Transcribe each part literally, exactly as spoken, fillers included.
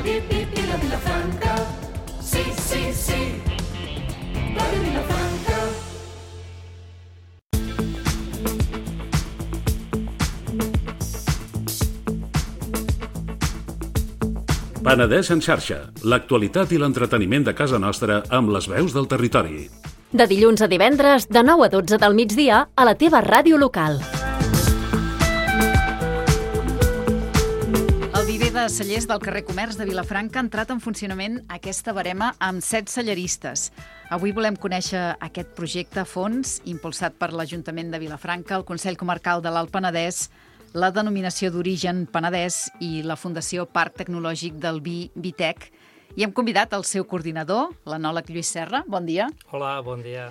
Vila, Vila, Vilafranca. Sí, sí, sí. Ràdio Vilafranca. Penedès en xarxa, l'actualitat i l'entreteniment de casa nostra amb les veus del territori. De dilluns a divendres, de nou a dotze del migdia, a la teva ràdio local. El viver de cellers del carrer Comerç de Vilafranca ha entrat en funcionament aquesta barema amb set celleristes. Avui volem conèixer aquest projecte a fons, impulsat per l'Ajuntament de Vilafranca, el Consell Comarcal de l'Alt Penedès, la denominació d'origen Penedès i la Fundació Parc Tecnològic del Vi, Vitec. I hem convidat el seu coordinador, l'enòleg Lluís Serra. Bon dia. Hola, bon dia.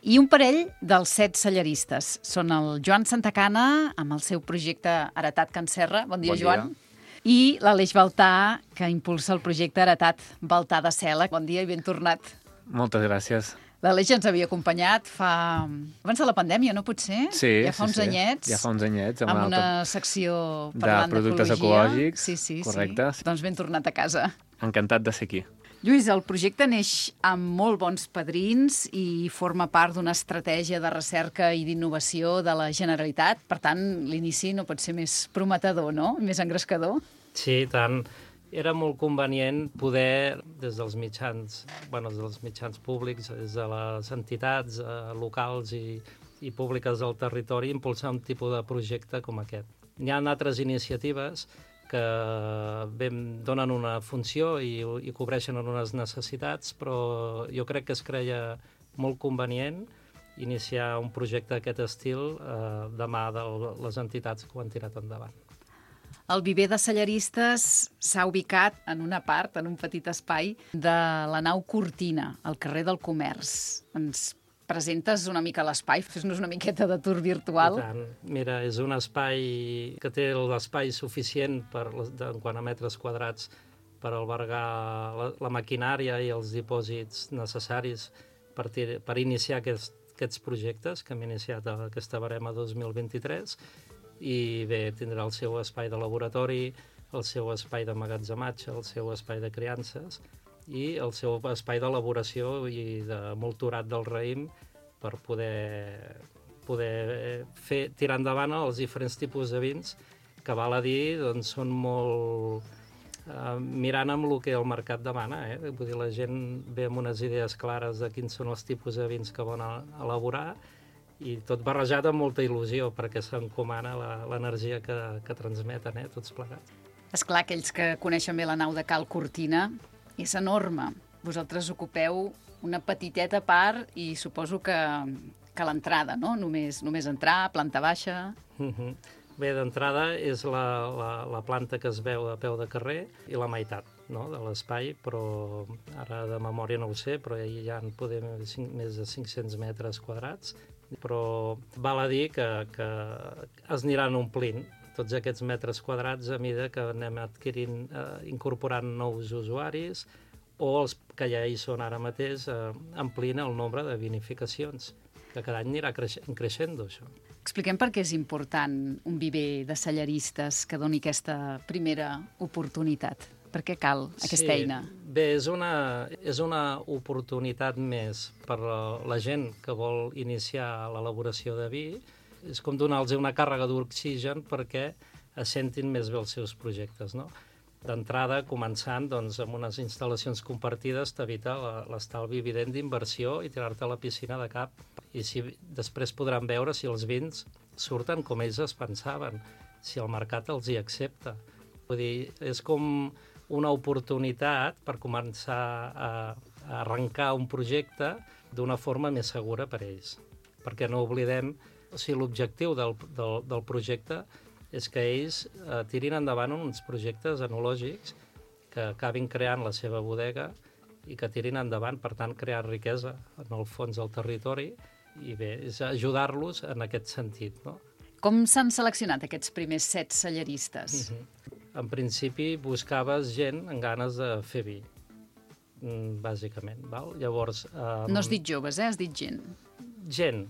I un parell dels set celleristes. Són el Joan Santacana, amb el seu projecte Heretat Can Serra. Bon dia, bon Joan. Dia. I l'Aleix Baltà, que impulsa el projecte Heretat Baltà de Cela. Bon dia i ben tornat. Moltes gràcies. L'Aleix ens havia acompanyat fa... abans de la pandèmia, no pot ser? Sí, ja fa sí, uns sí. anyets. Ja fa uns anyets. Amb, amb una secció parlant de productes d'ecologia. ecològics. Sí, sí, correcte. sí. Doncs ben tornat a casa. Encantat de ser aquí. Lluís, el projecte neix amb molt bons padrins i forma part d'una estratègia de recerca i d'innovació de la Generalitat. Per tant, l'inici no pot ser més prometedor, no? Més engrescador. Sí, tant. Era molt convenient poder, des dels mitjans, bueno, des dels mitjans públics, des de les entitats eh, locals i, i públiques del territori, impulsar un tipus de projecte com aquest. Hi ha altres iniciatives que ben, donen una funció i, i cobreixen unes necessitats, però jo crec que es creia molt convenient iniciar un projecte d'aquest estil eh, de mà de les entitats que ho han tirat endavant. El viver de celleristes s'ha ubicat en una part, en un petit espai, de la nau Cortina, al carrer del Comerç. Ens presentes una mica l'espai? Fes-nos una miqueta de tour virtual. I tant. Mira, és un espai que té l'espai suficient per, en quant a metres quadrats per albergar la, la maquinària i els dipòsits necessaris per, per iniciar aquest, aquests projectes que hem iniciat a aquesta barema dos mil vint-i-tres. I bé, tindrà el seu espai de laboratori, el seu espai d'emmagatzematge, el seu espai de criances i el seu espai d'elaboració i de molturat del raïm per poder, poder fer, tirar endavant els diferents tipus de vins que, val a dir, doncs, són molt... Eh, mirant amb el que el mercat demana. Eh? Vull dir, la gent ve amb unes idees clares de quins són els tipus de vins que volen elaborar i tot barrejat amb molta il·lusió, perquè s'encomana l'energia que, que transmeten, eh, tots plegats. Esclar, aquells que coneixen bé la nau de Cal Cortina, és enorme. Vosaltres ocupeu una petiteta part i suposo que, que l'entrada, no? Només, només entrar, planta baixa... Uh-huh. Bé, d'entrada és la, la, la planta que es veu a peu de carrer i la meitat, no?, de l'espai, però ara de memòria no ho sé, però hi ha poder més de cinc-cents metres quadrats. Però val a dir que, que es aniran omplint tots aquests metres quadrats a mesura que anem adquirint, eh, incorporant nous usuaris o els que ja hi són ara mateix, eh, amplint el nombre de vinificacions, que cada any anirà creixent, creixent això. Expliquem per què és important un viver de celleristes que doni aquesta primera oportunitat. Per què cal aquesta sí, eina? Bé, és una, és una oportunitat més per la, la gent que vol iniciar l'elaboració de vi. És com donar-los una càrrega d'oxigen perquè es sentin més bé els seus projectes, no? D'entrada, començant doncs, amb unes instal·lacions compartides, t'evita l'estalvi evident d'inversió i tirar-te a la piscina de cap. I si, després podran veure si els vins surten com ells es pensaven, si el mercat els hi accepta. Vull dir, és com una oportunitat per començar a, a arrencar un projecte d'una forma més segura per a ells. Perquè no oblidem, o sigui, l'objectiu del, del, del projecte és que ells eh, tirin endavant uns projectes enològics que acabin creant la seva bodega i que tirin endavant, per tant, crear riquesa en el fons del territori i bé, és ajudar-los en aquest sentit, no? Com s'han seleccionat aquests primers set celleristes? Mm-hmm. En principi buscaves gent amb ganes de fer vi, bàsicament. Val? Llavors, um... no has dit joves, eh? Has dit gent. Gent,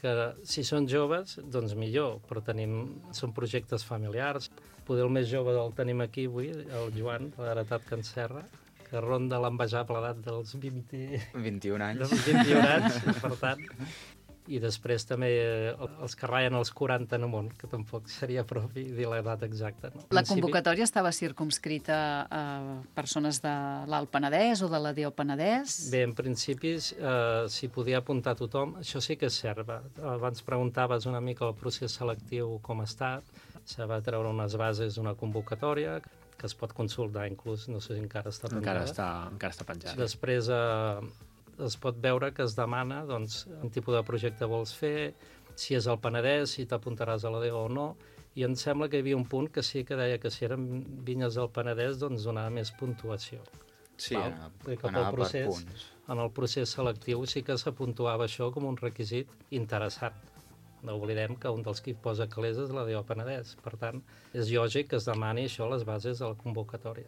que si són joves, doncs millor, però tenim, són projectes familiars. Poder el més jove el tenim aquí avui, el Joan, l'heretat que encerra, que ronda l'envejable edat dels vint... vint-i-un anys. dels vint-i-un anys, per tant. I després també els que ratllen els quaranta en amunt, que tampoc seria propi dir l'edat exacta. No? La convocatòria estava circumscrita a persones de l'Alt Penedès o de la D O Penedès? Bé, en principi eh, s'hi podia apuntar tothom. Això sí que és cert. Abans preguntaves una mica el procés selectiu com ha estat. Se va treure unes bases d'una convocatòria que es pot consultar inclús, no sé si encara està penjada. Encara està, encara està penjada. Després eh, es pot veure que es demana doncs, quin tipus de projecte vols fer, si és al Penedès, si t'apuntaràs a la D O o no, i em sembla que hi havia un punt que sí que deia que si eren vinyes del Penedès doncs donava més puntuació. Sí, Val? anava, Cap anava al procés, per punts. En el procés selectiu sí que s'apuntuava això com un requisit interessant. No oblidem que un dels que hi posa calés és la D O Penedès. Per tant, és lògic que es demani això a les bases de la convocatòria.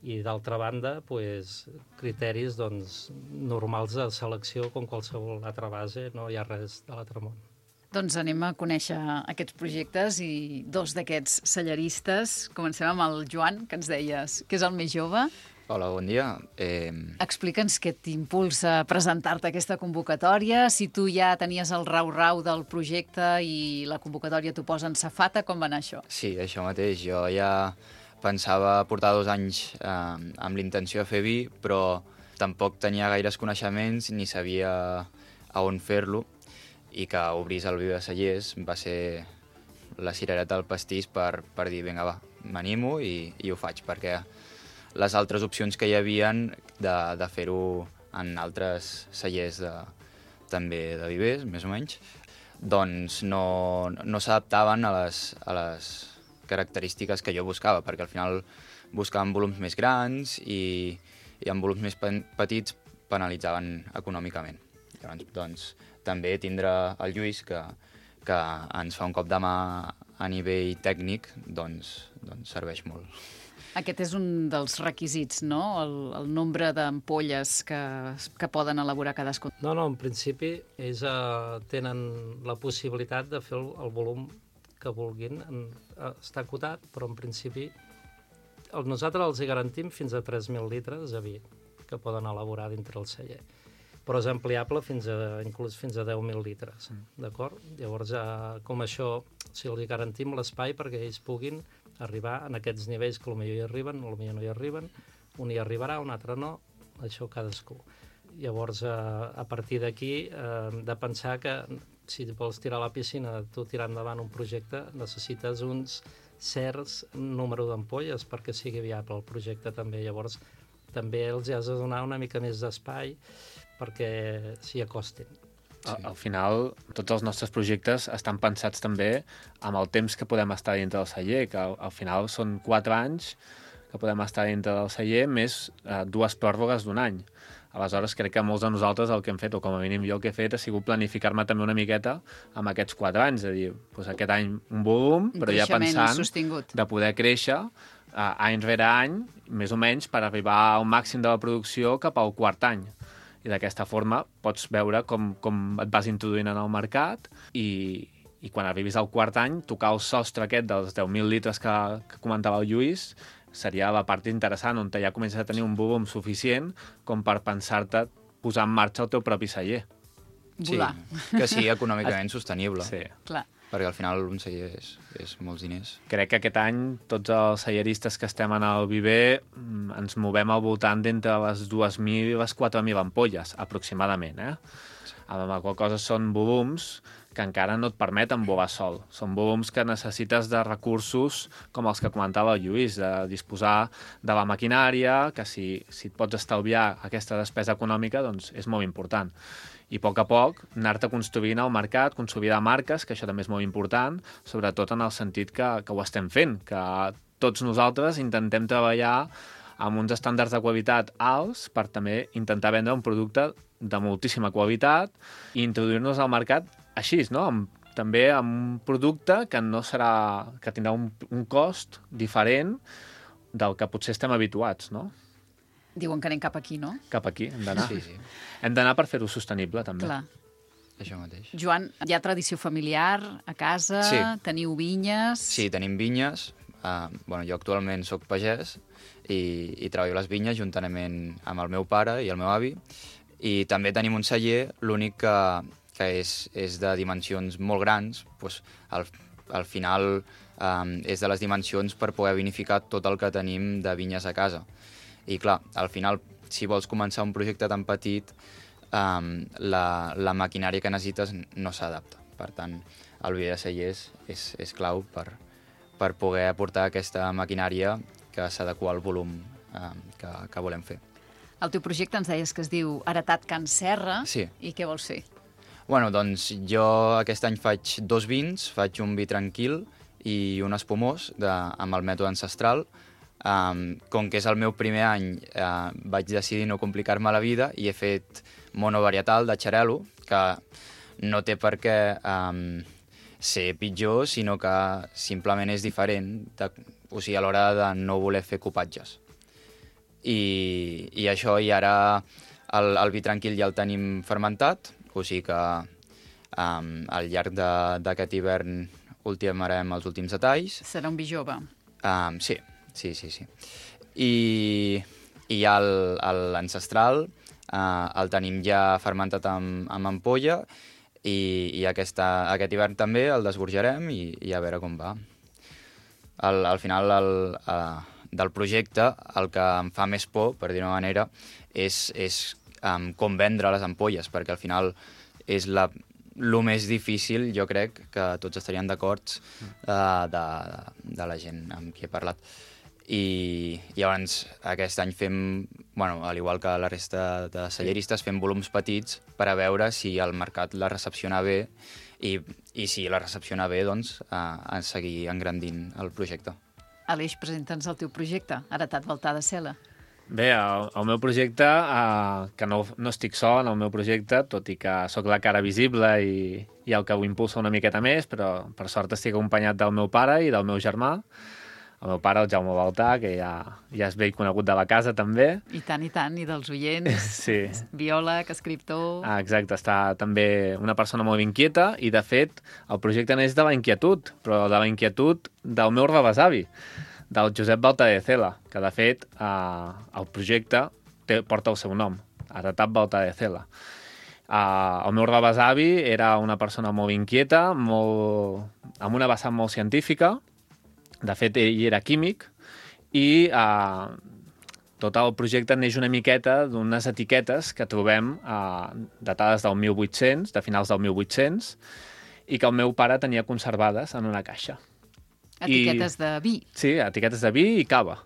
I d'altra banda, pues, criteris doncs, normals de selecció com qualsevol altra base, no hi ha res de l'altre món. Doncs anem a conèixer aquests projectes i dos d'aquests selleristes. Comencem amb el Joan, que ens deies que és el més jove. Hola, bon dia. Eh, Explica'ns què t'impulsa a presentar-te aquesta convocatòria, si tu ja tenies el rau-rau del projecte i la convocatòria t'ho posa en safata, com va anar això? sí, això mateix. Jo ja pensava portar dos anys eh, amb l'intenció de fer vi, però tampoc tenia gaires coneixements ni sabia a on fer-lo, i que obrís el vi de Cellers va ser la cirereta del pastís per, per dir, vinga, va, m'animo i, i ho faig, perquè les altres opcions que hi havien de, de fer-ho en altres cellers de, també de vivers, més o menys, doncs no, no s'adaptaven a les, a les característiques que jo buscava, perquè al final buscàvem volums més grans i, i amb volums més petits penalitzaven econòmicament. Llavors, doncs, també tindre el Lluís, que, que ens fa un cop de mà a nivell tècnic, doncs, doncs serveix molt. Aquest és un dels requisits, no? El, el nombre d'ampolles que, que poden elaborar cadascun. No, no, en principi ells eh, tenen la possibilitat de fer el, el volum que vulguin. En, eh, està acotat, però en principi el, nosaltres els hi garantim fins a tres mil litres de vi que poden elaborar dintre el celler. Però és ampliable fins a, inclús fins a deu mil litres, d'acord? Llavors, eh, com això, si els hi garantim l'espai perquè ells puguin arribar en aquests nivells que potser hi arriben, potser no hi arriben, un hi arribarà, un altre no, això cadascú. Llavors, eh, a partir d'aquí, eh, de pensar que si vols tirar a la piscina, tu tirar endavant un projecte, necessites uns certs número d'ampolles perquè sigui viable el projecte també. Llavors, també els has de donar una mica més d'espai perquè s'hi acostin. Al, al final, tots els nostres projectes estan pensats també amb el temps que podem estar dintre del celler, que al, al final són quatre anys que podem estar dintre del celler, més eh, dues pròrrogues d'un any. Aleshores, crec que molts de nosaltres el que hem fet, o com a mínim jo el que he fet, ha sigut planificar-me també una miqueta amb aquests quatre anys, de dir, doncs aquest any un volum, Un però ja creixement pensant sostingut. de poder créixer eh, any rere any, més o menys, per arribar al màxim de la producció cap al quart any. I d'aquesta forma pots veure com, com et vas introduint en el mercat i, i quan arribis al quart any, tocar el sostre aquest dels deu mil litres que, que comentava el Lluís seria la part interessant, on ja comences a tenir un volum suficient com per pensar-te posar en marxa el teu propi celler. Volar. Sí, que sigui econòmicament sostenible. Sí. Clar. Perquè al final un celler és, és molts diners. Crec que aquest any tots els celleristes que estem en el viver mm, ens movem al voltant d'entre les dues mil i les quatre mil ampolles, aproximadament. Eh? Sí. Amb la qual cosa són volums que encara no et permeten volar sol. Són volums que necessites de recursos com els que comentava el Lluís, de disposar de la maquinària, que si, si et pots estalviar aquesta despesa econòmica, doncs és molt important. I a poc a poc anar-te construint el mercat, consolidar marques, que això també és molt important, sobretot en el sentit que, que ho estem fent, que tots nosaltres intentem treballar amb uns estàndards de qualitat alts per també intentar vendre un producte de moltíssima qualitat i introduir-nos al mercat així, no? Amb, també amb un producte que no serà, que tindrà un, un cost diferent del que potser estem habituats, no? Diuen que anem cap aquí, no? Cap aquí, hem d'anar. Sí, sí. Hem d'anar per fer-ho sostenible, també. Clar. Això mateix. Joan, hi ha tradició familiar a casa? Sí. Teniu vinyes? Sí, tenim vinyes. eh, bueno, jo actualment sóc pagès i, i treballo a les vinyes juntament amb el meu pare i el meu avi, i també tenim un celler, l'únic que, que és, és de dimensions molt grans, doncs al, al final eh, és de les dimensions per poder vinificar tot el que tenim de vinyes a casa. I clar, al final, si vols començar un projecte tan petit, eh, la, la maquinària que necessites no s'adapta. Per tant, el viver de cellers és, és clau per, per poder aportar aquesta maquinària que s'adequa al volum eh, que, que volem fer. El teu projecte ens deies que es diu Heretat Can Serra. Sí. I què vols fer? Bueno, doncs jo aquest any faig dos vins, faig un vi tranquil i un espumós de, amb el mètode ancestral. Um, com que és el meu primer any, uh, vaig decidir no complicar-me la vida i he fet monovarietal de xarel·lo, que no té per què um, ser pitjor, sinó que simplement és diferent, de, o sigui, a l'hora de no voler fer copatges. I, i això, i ara el, el vi tranquil ja el tenim fermentat, o sigui que um, al llarg d'aquest hivern ultimarem els últims detalls. Serà un vi jove. Um, sí, sí, sí, sí. I, i ja l'ancestral uh, el tenim ja fermentat amb, amb ampolla i, i aquesta, aquest hivern també el desborjarem i, i a veure com va. Al, al final el, uh, del projecte el que em fa més por, per dir-ho d'una manera, és, és um, com vendre les ampolles, perquè al final és la, el més difícil, jo crec, que tots estarien d'acord uh, de, de la gent amb qui he parlat. I, i llavors aquest any fem, bueno, al igual que la resta de celleristes, fem volums petits per a veure si el mercat la recepciona bé i, i si la recepciona bé, doncs, a, a seguir engrandint el projecte. Aleix, presenta'ns el teu projecte, Heretat Baltar de Cela. Bé, el, el meu projecte, eh, que no, no estic sol en el meu projecte, tot i que sóc la cara visible i, i el que ho impulsa una miqueta més, però per sort estic acompanyat del meu pare i del meu germà. El meu pare, el Jaume Baltar, que ja, ja és vell conegut de la casa, també. I tant, i tant, i dels oients. Sí. Biòleg, escriptor... Ah, exacte, està també una persona molt inquieta i, de fet, el projecte neix de la inquietud, però de la inquietud del meu rebesavi, del Josep Baltar de Cela, que, de fet, eh, el projecte té, porta el seu nom, Heretat Baltar de Cela. Uh, el meu rebesavi era una persona molt inquieta, molt, amb una vessant molt científica. De fet, ell era químic i eh, tot el projecte neix una miqueta d'unes etiquetes que trobem eh, datades del mil vuit-cents, de finals del mil vuit-cents, i que el meu pare tenia conservades en una caixa. Etiquetes I, de vi. Sí, etiquetes de vi i cava.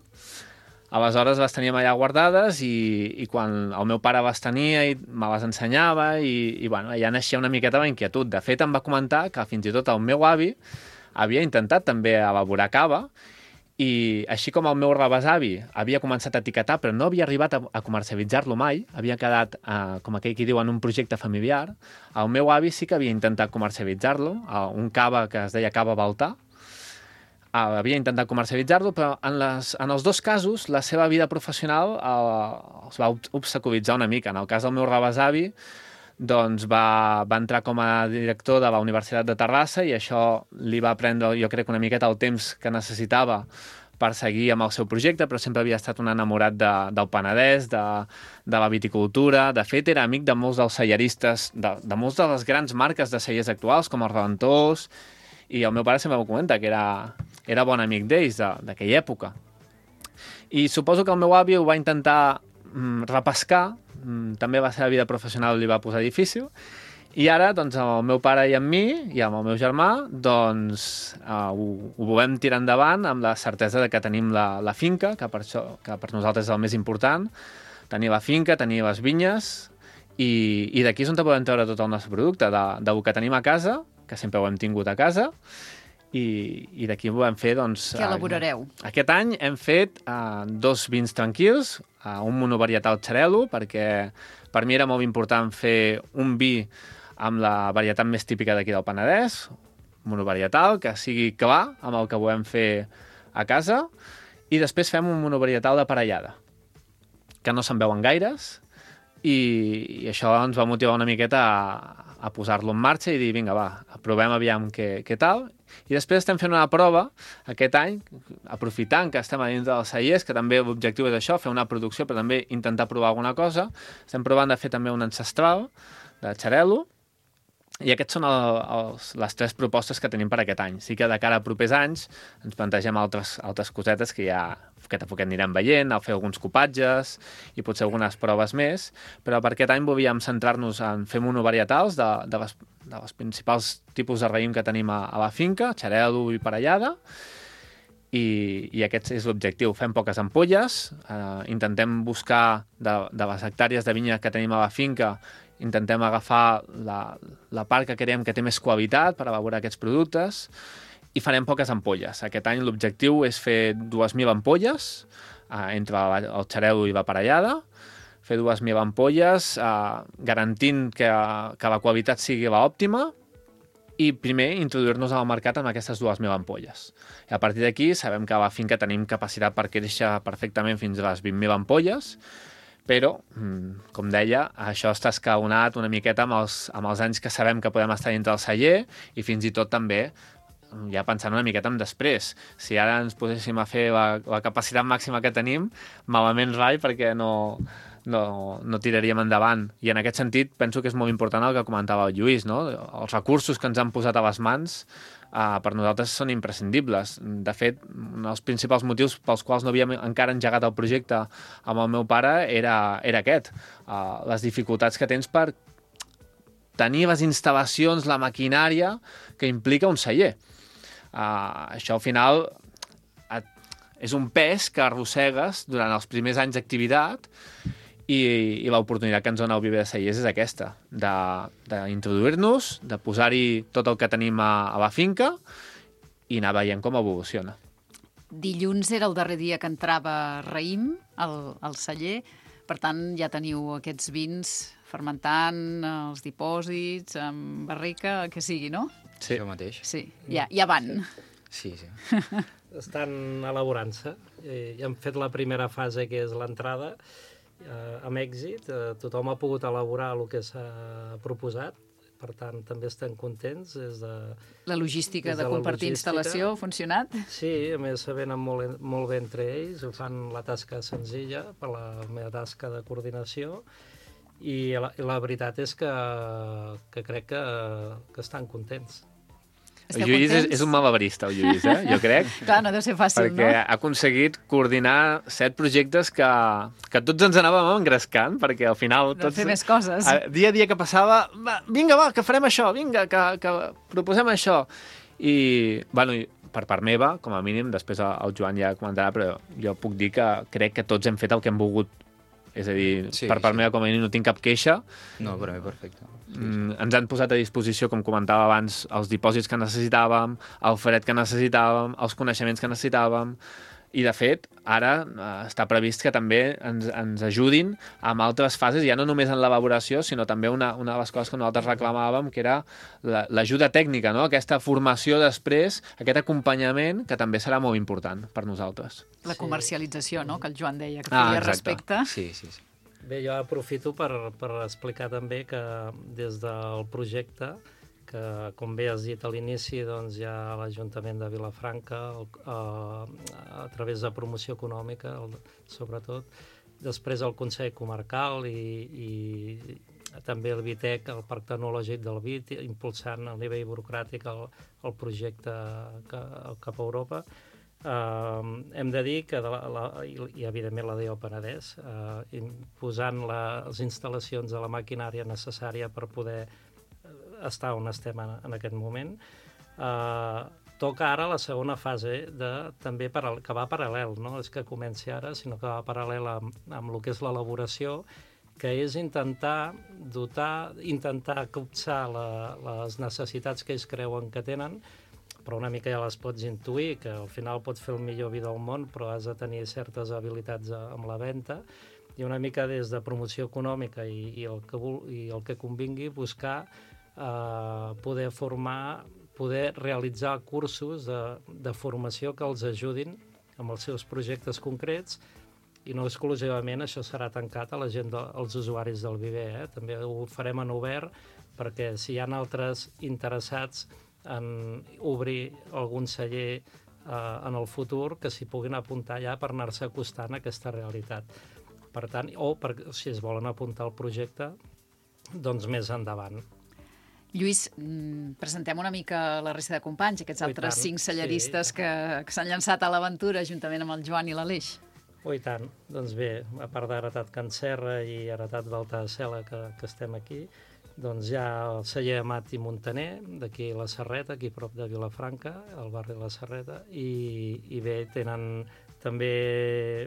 Aleshores les teníem allà guardades i, i quan el meu pare les tenia i me les ensenyava i, i bueno, allà naixia una miqueta la inquietud. De fet, em va comentar que fins i tot el meu avi havia intentat també elaborar cava i així com el meu rebesavi havia començat a etiquetar però no havia arribat a, a comercialitzar-lo mai, havia quedat, eh, com aquell qui diu, en un projecte familiar, el meu avi sí que havia intentat comercialitzar-lo, eh, un cava que es deia cava Baltar, eh, havia intentat comercialitzar-lo, però en, les, en els dos casos la seva vida professional eh, es va obstaculitzar una mica. En el cas del meu rebesavi, doncs va, va entrar com a director de la Universitat de Terrassa i això li va prendre, jo crec, una miqueta el temps que necessitava per seguir amb el seu projecte, però sempre havia estat un enamorat de, del Penedès, de, de la viticultura. De fet, era amic de molts dels celleristes, de, de molts de les grans marques de cellers actuals, com els Reventós, i el meu pare sempre m'ho comenta, que era, era bon amic d'ells, d'aquella època. I suposo que el meu avi ho va intentar mm, repescar, també la seva vida professional li va posar difícil, i ara, doncs, amb el meu pare i amb mi, i amb el meu germà, doncs, uh, ho, ho volem tirar endavant amb la certesa de que tenim la, la finca, que per, això, que per nosaltres és el més important, tenir la finca, tenir les vinyes, i, i d'aquí és on podem treure tot el nostre producte, de, del que tenim a casa, que sempre ho hem tingut a casa, i, i d'aquí ho vam fer, doncs... Què elaborareu? Uh, aquest any hem fet uh, dos vins tranquils, uh, un monovarietal xarel·lo, perquè per mi era molt important fer un vi amb la varietat més típica d'aquí del Penedès, monovarietal, que sigui clar amb el que volem fer a casa, i després fem un monovarietal de parellada, que no se'n veuen gaires, i, i això ens va motivar una miqueta a, a posar-lo en marxa i dir, vinga, va, provem aviam què, què tal. I després estem fent una prova aquest any, aprofitant que estem a dins dels cellers, que també l'objectiu és això, fer una producció, però també intentar provar alguna cosa. Estem provant de fer també un ancestral de xarel·lo, i aquests són el, els, les tres propostes que tenim per aquest any. Sí que de cara a propers anys ens plantegem altres, altres cosetes que ja que tampoc anirem veient, a fer alguns copatges i potser algunes proves més, però per aquest any volíem centrar-nos en fer monovarietals de, de, les, de les principals tipus de raïm que tenim a, a la finca, xarel·lo i parellada, i, i aquest és l'objectiu. Fem poques ampolles, eh, intentem buscar de, de les hectàrees de vinya que tenim a la finca, intentem agafar la, la part que creiem que té més qualitat per elaborar aquests productes i farem poques ampolles. Aquest any l'objectiu és fer dues mil ampolles eh, entre el xarel·lo i la parellada, fer dues mil ampolles eh, garantint que, que la qualitat sigui l'òptima i primer introduir-nos al mercat amb aquestes dues mil ampolles. I a partir d'aquí sabem que a la finca tenim capacitat per créixer perfectament fins a les vint mil ampolles, però, com deia, això està escalonat una miqueta amb els, amb els anys que sabem que podem estar dintre del celler i fins i tot també ja pensant una miqueta en després. Si ara ens poséssim a fer la, la capacitat màxima que tenim, malament rai perquè no, no, no tiraríem endavant. I en aquest sentit penso que és molt important el que comentava el Lluís, no? Els recursos que ens han posat a les mans Uh, per nosaltres són imprescindibles. De fet, un dels principals motius pels quals no havíem encara engegat el projecte amb el meu pare era, era aquest. Uh, les dificultats que tens per tenir les instal·lacions, la maquinària que implica un celler. Uh, això al final et, és un pes que arrossegues durant els primers anys d'activitat i, i l'oportunitat que ens dona el Viver de Cellers és aquesta, d'introduir-nos, de, de posar-hi tot el que tenim a, a la finca i anar veient com evoluciona. Dilluns era el darrer dia que entrava raïm al, al celler, per tant ja teniu aquests vins fermentant, els dipòsits, amb barrica, el que sigui, no? Sí. Això mateix. Sí, ja, ja van. Sí, sí. Estan elaborant-se. Ja hem fet la primera fase, que és l'entrada, Eh, amb èxit, eh, tothom ha pogut elaborar el que s'ha proposat, per tant també estem contents des de, la logística de, de compartir logística. Instal·lació ha funcionat? Sí, a més se venen molt, molt bé entre ells, ho fan la tasca senzilla per la meva tasca de coordinació i la, i la veritat és que, que crec que, que estan contents. El Lluís és, és un malabarista, el Lluís, eh? Jo crec. Clar, no deu ser fàcil, perquè no? Perquè ha aconseguit coordinar set projectes que, que tots ens anàvem engrescant, perquè al final... De tots, fer més coses. A, dia a dia que passava, va, vinga, va, que farem això, vinga, que, que proposem això. I, bueno, per part meva, com a mínim, després el Joan ja comentarà, però jo puc dir que crec que tots hem fet el que hem volgut. És a dir, sí, per part sí. meva, com a mínim, no tinc cap queixa. No, per mi, perfecte. Mm, ens han posat a disposició, com comentava abans, els dipòsits que necessitàvem, el fred que necessitàvem, els coneixements que necessitàvem, i de fet, ara eh, està previst que també ens, ens ajudin amb altres fases, ja no només en l'elaboració, sinó també una, una de les coses que nosaltres reclamàvem, que era l'ajuda tècnica, no? Aquesta formació després, aquest acompanyament, que també serà molt important per nosaltres. La comercialització, no?, que el Joan deia, que ah, feia respecte. Sí, sí, sí. Bé, jo aprofito per, per explicar també que des del projecte, que com bé has dit a l'inici, doncs hi ha l'Ajuntament de Vilafranca, el, a, a través de promoció econòmica, el, sobretot, després el Consell Comarcal i, i també el Vitec, el Parc Tecnològic del Vit, impulsant a nivell burocràtic el, el projecte que, cap a Europa. Uh, hem de dir que, de la, la, i, i evidentment la D O Penedès, uh, posant la, les instal·lacions de la maquinària necessària per poder estar on estem en, en aquest moment. Uh, toca ara la segona fase, de, també paral, que va paral·lel, no és que comenci ara, sinó que va paral·lel amb, amb el que és l'elaboració, que és intentar dotar, intentar copsar la, les necessitats que ells creuen que tenen, però una mica ja les pots intuir, que al final pots fer el millor vi del món, però has de tenir certes habilitats amb la venda, i una mica des de promoció econòmica i, i, el, que, i el que convingui, buscar eh, poder formar, poder realitzar cursos de, de formació que els ajudin amb els seus projectes concrets I no exclusivament això serà tancat a la gent, de, als usuaris del Viver, eh? També ho farem en obert, perquè si hi ha altres interessats en obrir algun celler eh, en el futur, que s'hi puguin apuntar ja per anar-se acostant a aquesta realitat. Per tant, o per, si es volen apuntar al projecte, doncs més endavant. Lluís, presentem una mica la resta de companys, aquests altres cinc celleristes sí. que, que s'han llançat a l'aventura juntament amb el Joan i l'Aleix. Oh, i tant. Doncs bé, a part d'Heretat Can Serra i Heretat Balta de Cela, que, que estem aquí, doncs hi ha el celler Amat i Montaner, d'aquí la Serreta, aquí prop de Vilafranca, al barri de la Serreta, i, i bé, tenen també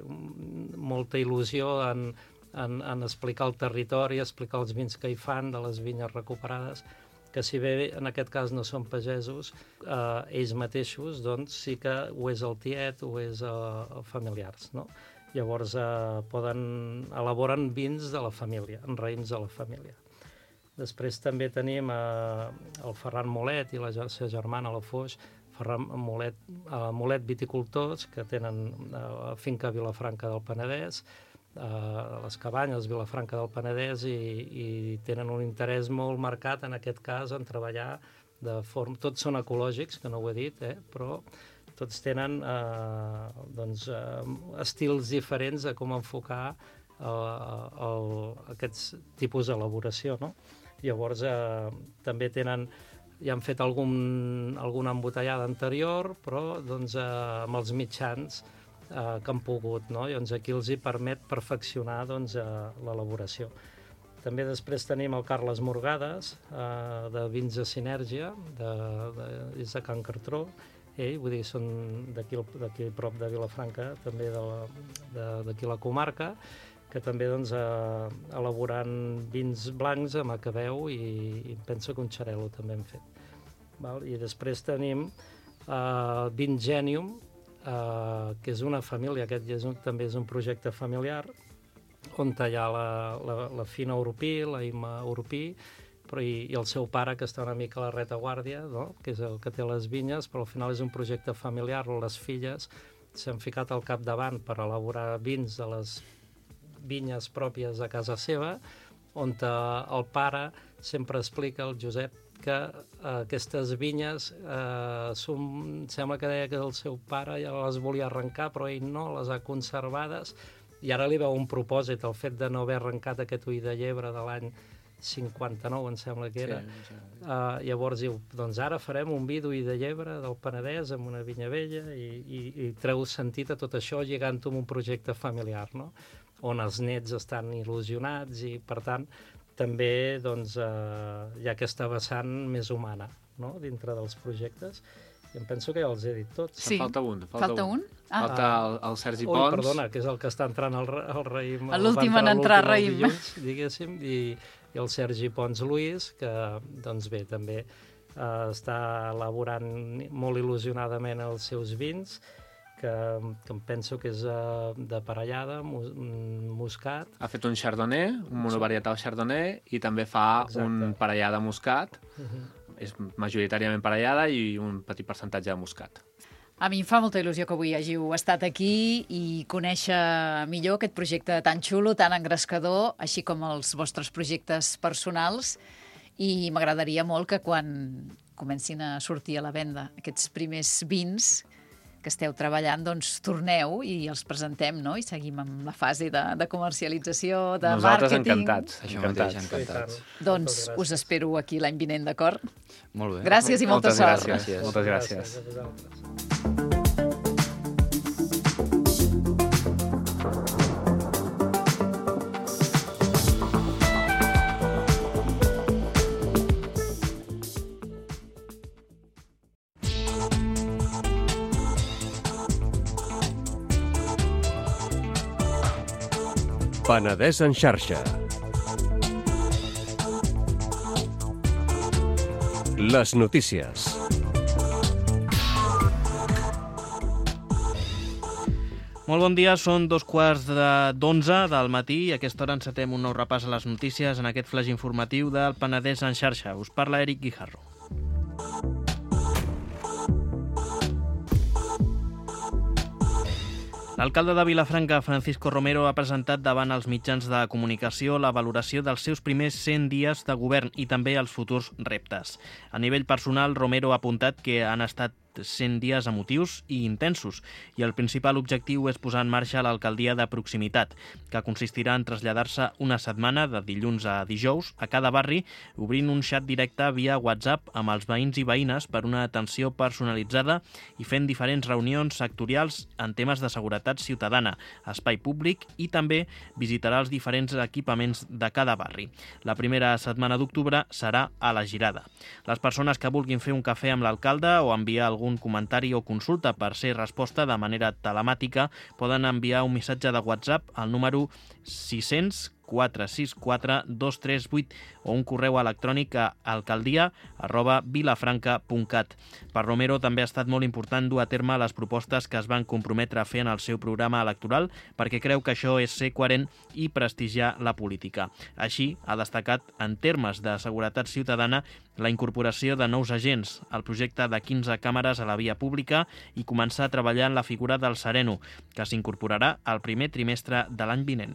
molta il·lusió en, en, en explicar el territori, explicar els vins que hi fan, de les vinyes recuperades, que si bé en aquest cas no són pagesos, eh, ells mateixos doncs sí que ho és el tiet, ho és eh, familiars, no? Llavors eh, poden elaboren vins de la família, en raïms de la família. Després també tenim eh, el Ferran Molet i la seva germana, la Foix, Ferran Molet, eh, Molet Viticultors, que tenen eh, finca a Vilafranca del Penedès, a les Cabanyes, Vilafranca del Penedès, i, i tenen un interès molt marcat, en aquest cas, en treballar de forma... Tots són ecològics, que no ho he dit, eh? Però tots tenen eh, doncs, eh, estils diferents de com enfocar eh, el, aquests tipus d'elaboració, no? Llavors, eh, també tenen... Ja han fet algun, alguna embotellada anterior, però doncs, eh, amb els mitjans Eh, que han pogut, no? I doncs aquí els hi permet perfeccionar doncs, eh, l'elaboració. També després tenim el Carles Morgades, eh, de Vins de Sinèrgia, de, de, és de Can Cartró, ell, vull dir, són d'aquí prop de Vilafranca, també d'aquí la comarca, que també doncs, eh, elaborant vins blancs amb acabeu, i, i penso que un xarel·lo també hem fet. Val? I després tenim eh, Vins Gènium, Uh, que és una família, aquest és un, també és un projecte familiar, on hi ha la, la, la Fina Europí, la Ima Europí, però i, i el seu pare, que està una mica a la retaguardia, no? Que és el que té les vinyes, però al final és un projecte familiar, les filles s'han ficat al capdavant per elaborar vins de les vinyes pròpies de casa seva, on el pare sempre explica, el Josep, que eh, aquestes vinyes eh, són, sembla que deia que el seu pare ja les volia arrencar, però ell no, les ha conservades, i ara li veu un propòsit, el fet de no haver arrencat aquest ull de llebre de l'any cinquanta-nou, em sembla que era. Sí, sí. Uh, llavors diu, doncs ara farem un vi d'ull de llebre del Penedès amb una vinya vella, i, i, i treu sentit a tot això lligant-ho amb un projecte familiar, no? On els nets estan il·lusionats, i per tant també doncs, eh, hi ha aquesta vessant més humana, no? Dintre dels projectes. I em penso que ja els he dit tots. Sí. Falta un. Falta, falta un? un? Ah. Falta el, el Sergi Ui, Pons. Perdona, que és el que està entrant al, al raïm. L'últim en entrar al raïm. Dilluns, diguéssim, i, i el Sergi Pons Luis, que, doncs bé, també eh, està elaborant molt il·lusionadament els seus vins, que, que em penso que és uh, de parellada, mus, muscat. Ha fet un chardonnay, un monovarietal chardonnay, i també fa Exacte. un parellada muscat. Uh-huh. És majoritàriament parellada i un petit percentatge de muscat. A mi em fa molta il·lusió que avui hàgiu estat aquí i conèixer millor aquest projecte tan xulo, tan engrescador, així com els vostres projectes personals, i m'agradaria molt que quan comencin a sortir a la venda aquests primers vins que esteu treballant, doncs torneu i els presentem, no? I seguim amb la fase de, de comercialització, de Nosaltres màrqueting. encantats. Això encantats. mateix, encantats. Doncs us espero aquí l'any vinent, d'acord? Molt bé. Gràcies i molta Moltes sort. gràcies. Moltes gràcies. Gràcies a vosaltres. Penedès en xarxa. Les notícies. Molt bon dia, són dos quarts d'onze del matí i a aquesta hora encetem un nou repàs a les notícies en aquest flash informatiu del Penedès en xarxa. Us parla Eric Guijarro. L'alcalde de Vilafranca, Francisco Romero, ha presentat davant els mitjans de comunicació la valoració dels seus primers cent dies de govern i també els futurs reptes. A nivell personal, Romero ha apuntat que han estat cent dies emotius i intensos i el principal objectiu és posar en marxa l'alcaldia de proximitat, que consistirà en traslladar-se una setmana de dilluns a dijous a cada barri, obrint un xat directe via WhatsApp amb els veïns i veïnes per una atenció personalitzada i fent diferents reunions sectorials en temes de seguretat ciutadana, espai públic i també visitarà els diferents equipaments de cada barri. La primera setmana d'octubre serà a la Girada. Les persones que vulguin fer un cafè amb l'alcalde o enviar algun comentari o consulta per ser resposta de manera telemàtica poden enviar un missatge de WhatsApp al número sis cents quatre sis quatre dos tres vuit o un correu electrònic a alcaldia arroba vilafranca punt cat. Per Romero també ha estat molt important dur a terme les propostes que es van comprometre a fer en el seu programa electoral perquè creu que això és ser coherent i prestigiar la política. Així, ha destacat en termes de seguretat ciutadana la incorporació de nous agents, el projecte de quinze càmeres a la via pública i començar a treballar en la figura del sereno, que s'incorporarà al primer trimestre de l'any vinent.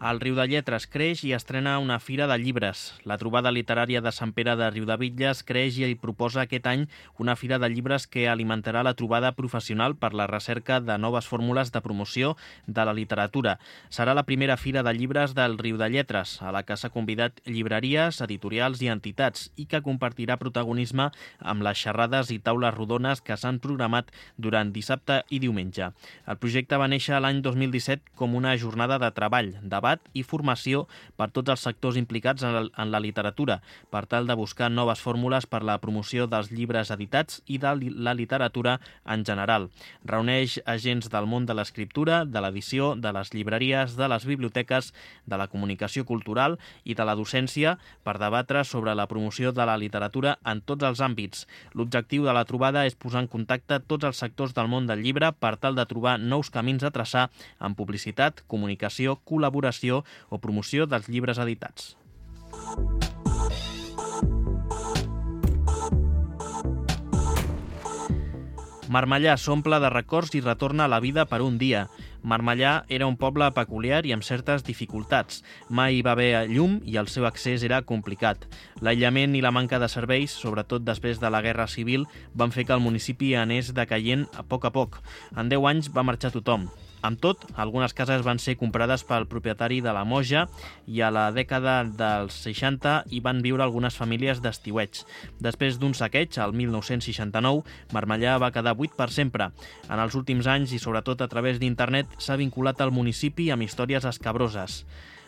El Riudelletres creix i estrena una fira de llibres. La trobada literària de Sant Pere de Riudebitlles creix i proposa aquest any una fira de llibres que alimentarà la trobada professional per la recerca de noves fórmules de promoció de la literatura. Serà la primera fira de llibres del Riudelletres, a la que s'ha convidat llibreries, editorials i entitats i que compartirà protagonisme amb les xerrades i taules rodones que s'han programat durant dissabte i diumenge. El projecte va néixer l'any dos mil disset com una jornada de treball, debat i formació per tots els sectors implicats en la literatura, per tal de buscar noves fórmules per la promoció dels llibres editats i de la literatura en general. Reuneix agents del món de l'escriptura, de l'edició, de les llibreries, de les biblioteques, de la comunicació cultural i de la docència per debatre sobre la promoció de la literatura en tots els àmbits. L'objectiu de la trobada és posar en contacte tots els sectors del món del llibre per tal de trobar nous camins a traçar en publicitat, comunicació, col·laboració o promoció dels llibres editats. Marmellà s'omple de records i retorna a la vida per un dia. Marmellà era un poble peculiar i amb certes dificultats. Mai hi va haver llum i el seu accés era complicat. L'aïllament i la manca de serveis, sobretot després de la Guerra Civil, van fer que el municipi anés decaient a poc a poc. En deu anys va marxar tothom. Amb tot, algunes cases van ser comprades pel propietari de la Moja i a la dècada dels seixanta hi van viure algunes famílies d'estiueig. Després d'un saqueig, el mil nou-cents seixanta-nou, Marmellà va quedar buit per sempre. En els últims anys i sobretot a través d'internet s'ha vinculat al municipi amb històries escabroses.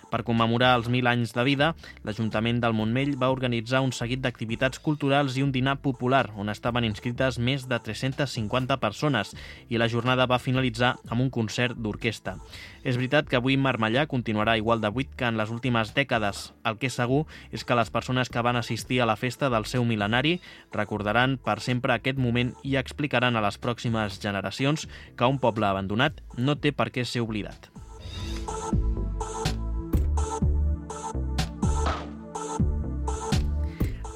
Per commemorar els mil anys de vida, l'Ajuntament del Montmell va organitzar un seguit d'activitats culturals i un dinar popular, on estaven inscrites més de tres-centes cinquanta persones, i la jornada va finalitzar amb un concert d'orquestra. És veritat que avui Marmellà continuarà igual de buit que en les últimes dècades. El que és segur és que les persones que van assistir a la festa del seu mil·lenari recordaran per sempre aquest moment i explicaran a les pròximes generacions que un poble abandonat no té per què ser oblidat.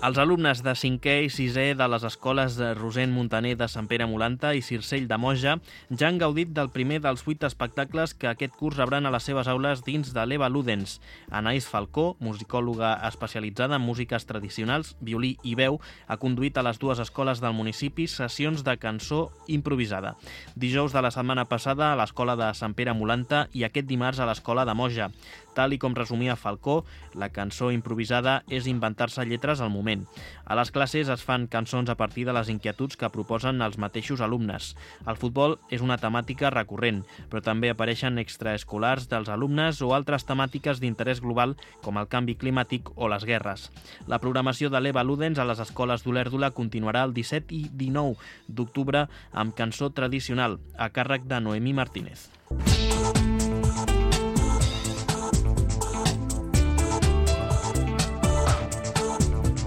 Els alumnes de cinquè i sisè de les escoles de Rosent Montaner de Sant Pere Molanta i Circell de Moja ja han gaudit del primer dels vuit espectacles que aquest curs rebran a les seves aules dins de l'Eva Ludens. Anaïs Falcó, musicòloga especialitzada en músiques tradicionals, violí i veu, ha conduït a les dues escoles del municipi sessions de cançó improvisada. Dijous de la setmana passada a l'escola de Sant Pere Molanta i aquest dimarts a l'escola de Moja. Tal i com resumia Falcó, la cançó improvisada és inventar-se lletres al moment. A les classes es fan cançons a partir de les inquietuds que proposen els mateixos alumnes. El futbol és una temàtica recurrent, però també apareixen extraescolars dels alumnes o altres temàtiques d'interès global com el canvi climàtic o les guerres. La programació de l'Eva Ludens a les escoles d'Olèrdola continuarà el disset i dinou d'octubre amb cançó tradicional, a càrrec de Noemí Martínez.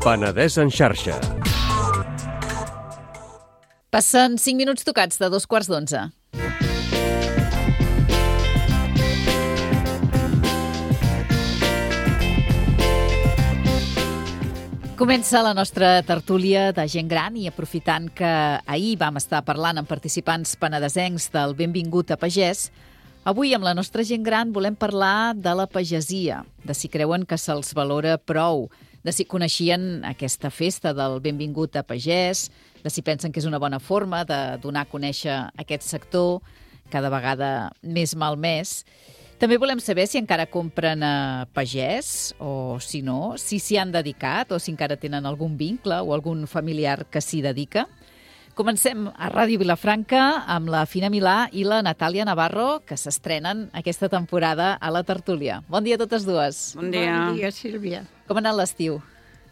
Penedès en xarxa. Passen cinc minuts tocats de dos quarts d'onze. Comença la nostra tertúlia de gent gran i aprofitant que ahir vam estar parlant amb participants penedesencs del Benvingut a Pagès, avui amb la nostra gent gran volem parlar de la pagesia, de si creuen que se'ls valora prou, de si coneixien aquesta festa del Benvingut a Pagès, de si pensen que és una bona forma de donar a conèixer aquest sector cada vegada més malmès. També volem saber si encara compren a Pagès o si no, si s'hi han dedicat o si encara tenen algun vincle o algun familiar que s'hi dedica. Comencem a Ràdio Vilafranca amb la Fina Milà i la Natàlia Navarro, que s'estrenen aquesta temporada a la tertúlia. Bon dia a totes dues. Bon dia. Bon dia, Sílvia. Com ha anat l'estiu?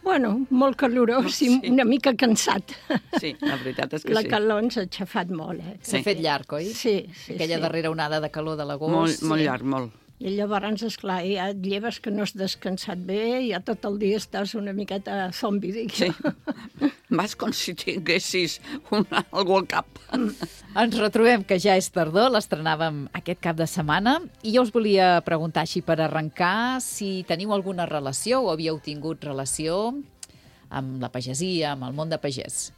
Bueno, molt calorós Sí. i una mica cansat. Sí, la veritat és que La sí. calor ens ha aixafat molt, eh? S'ha fet llarg, oi? Sí, sí, Aquella sí. darrera onada de calor de l'agost. Molt, molt llarg, molt. I llavors, esclar, ja et lleves que no has descansat bé, ja tot el dia estàs una miqueta zombi, dic Sí. jo. Vas com si tinguessis una, algú al cap. Ens retrobem, que ja és tardor, l'estrenàvem aquest cap de setmana, i jo us volia preguntar així per arrencar si teniu alguna relació o havíeu tingut relació amb la pagesia, amb el món de pagès.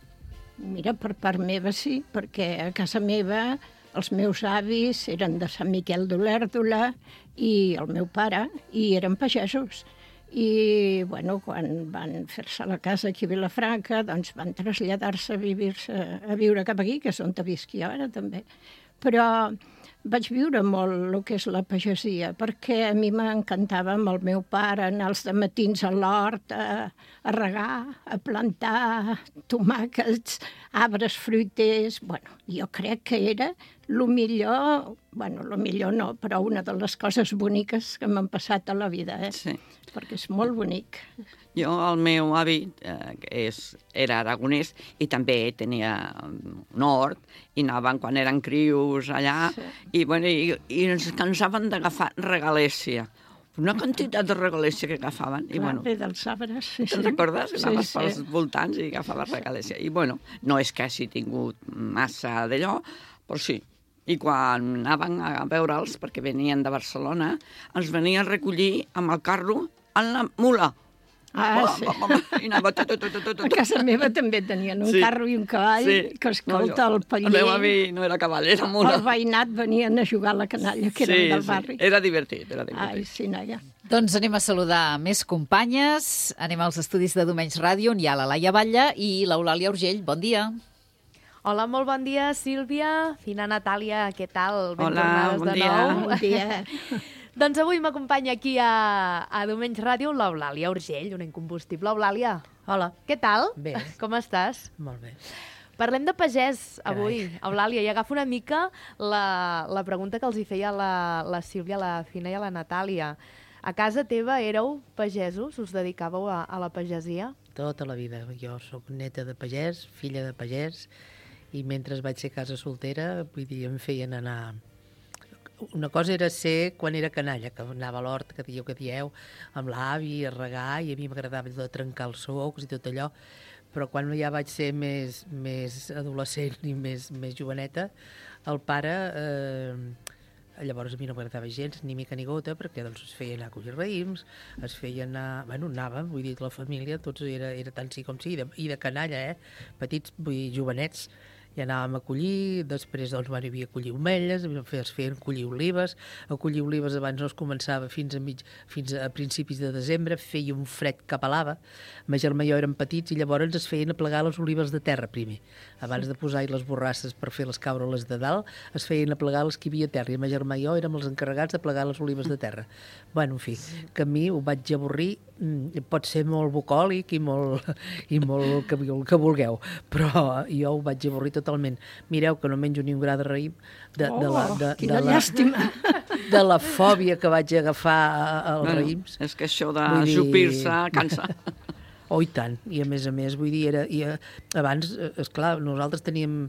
Mira, per part meva sí, perquè a casa meva els meus avis eren de Sant Miquel d'Olèrdola i el meu pare, i eren pagesos. I, bueno, quan van fer-se la casa aquí a Vilafranca, doncs van traslladar-se a, vivir-se, a viure cap aquí, que és on visc jo ara també. Però vaig viure molt el que és la pagesia, perquè a mi m'encantava amb el meu pare anar els dematins a l'hort a, a regar, a plantar tomàquets, arbres fruiters. Bueno, jo crec que era el millor, bueno, el millor no, però una de les coses boniques que m'han passat a la vida, eh? Sí. Perquè és molt bonic. Jo, el meu avi eh, és, era aragonès i també tenia un hort i anaven quan eren crios allà Sí. i, bueno, i, i ens cansaven d'agafar regalèssia. Una quantitat de regalèssia que agafaven. I, Clar, bueno, bé dels arbres. Sí, te'n sí. recordes? Anaves Sí, pels sí. voltants i agafaves regalèssia. I, bueno, no és que hagi tingut massa d'allò, però sí. I quan anaven a veure'ls, perquè venien de Barcelona, ens venien a recollir amb el carro en la mula. Ah, sí. I anava tot, tot, tot, tot. A casa meva també tenien un Sí. carro i un cavall, Sí. que escolta, No, el jo- paller... El meu avi no era cavall, era mula. El veïnat venien a jugar a la canalla, que eren del barri. Era divertit, era divertit. Ai, sí, noia. Doncs anem a saludar més companyes. Anem als estudis de Domenys Ràdio, on hi ha la Laia Batlle i l'Eulàlia Urgell. Bon dia. Hola, molt bon dia, Sílvia, Fina Natàlia, què tal? Ben Hola, tornades bon de dia. nou. Bon dia. Doncs avui m'acompanya aquí a, a Domenys Ràdio l'Eulàlia Urgell, una incombustible. Eulàlia, Hola. què tal? Bé. Com estàs? Molt bé. Parlem de pagès avui, Eulàlia, i agafo una mica la, la pregunta que els hi feia la, la Sílvia, la Fina i la Natàlia. A casa teva éreu pagesos? Us dedicàveu a, a la pagesia? Tota la vida. Jo sóc neta de pagès, filla de pagès, i mentre vaig ser a casa soltera, vull dir, em feien anar... Una cosa era ser quan era canalla, que anava a l'hort, que dieu que dieu, amb l'avi, a regar, i a mi m'agradava de trencar els socs i tot allò, però quan ja vaig ser més, més adolescent i més, més joveneta, el pare... Eh, llavors a mi no m'agradava gens, ni mica ni gota, perquè doncs, es feia anar a collir raïms, es feia anar... Bueno, anàvem, vull dir, la família, tots era, era tant sí com sí, i de, i de canalla, eh? Petits, vull dir, jovenets, i anàvem a collir, després doncs, bueno, hi havia a collir omelles, es feien collir olives, a collir olives abans no es començava fins a, mig, fins a principis de desembre, feia un fred que pelava, ma germà i jo érem petits i llavors es feien a plegar les olives de terra primer, abans de posar-hi les borrasses per fer les caure-les de dalt, es feien a plegar les que hi havia a terra, i ma germà i jo érem els encarregats de plegar les olives de terra. Bueno, en fi, que a mi ho vaig avorrir, pot ser molt bucòlic i molt, i molt que, que vulgueu, però jo ho vaig avorrir totalment. Mireu que no menjo ni un gra de raïm de, de, la, de, Oh, quina de, la, llàstima. de la fòbia que vaig agafar als Bueno, raïms. és que això de Vull dir- jupir-se cansa. Oh, i tant. I a més a més, vull dir, era, i, eh, abans, eh, esclar, nosaltres teníem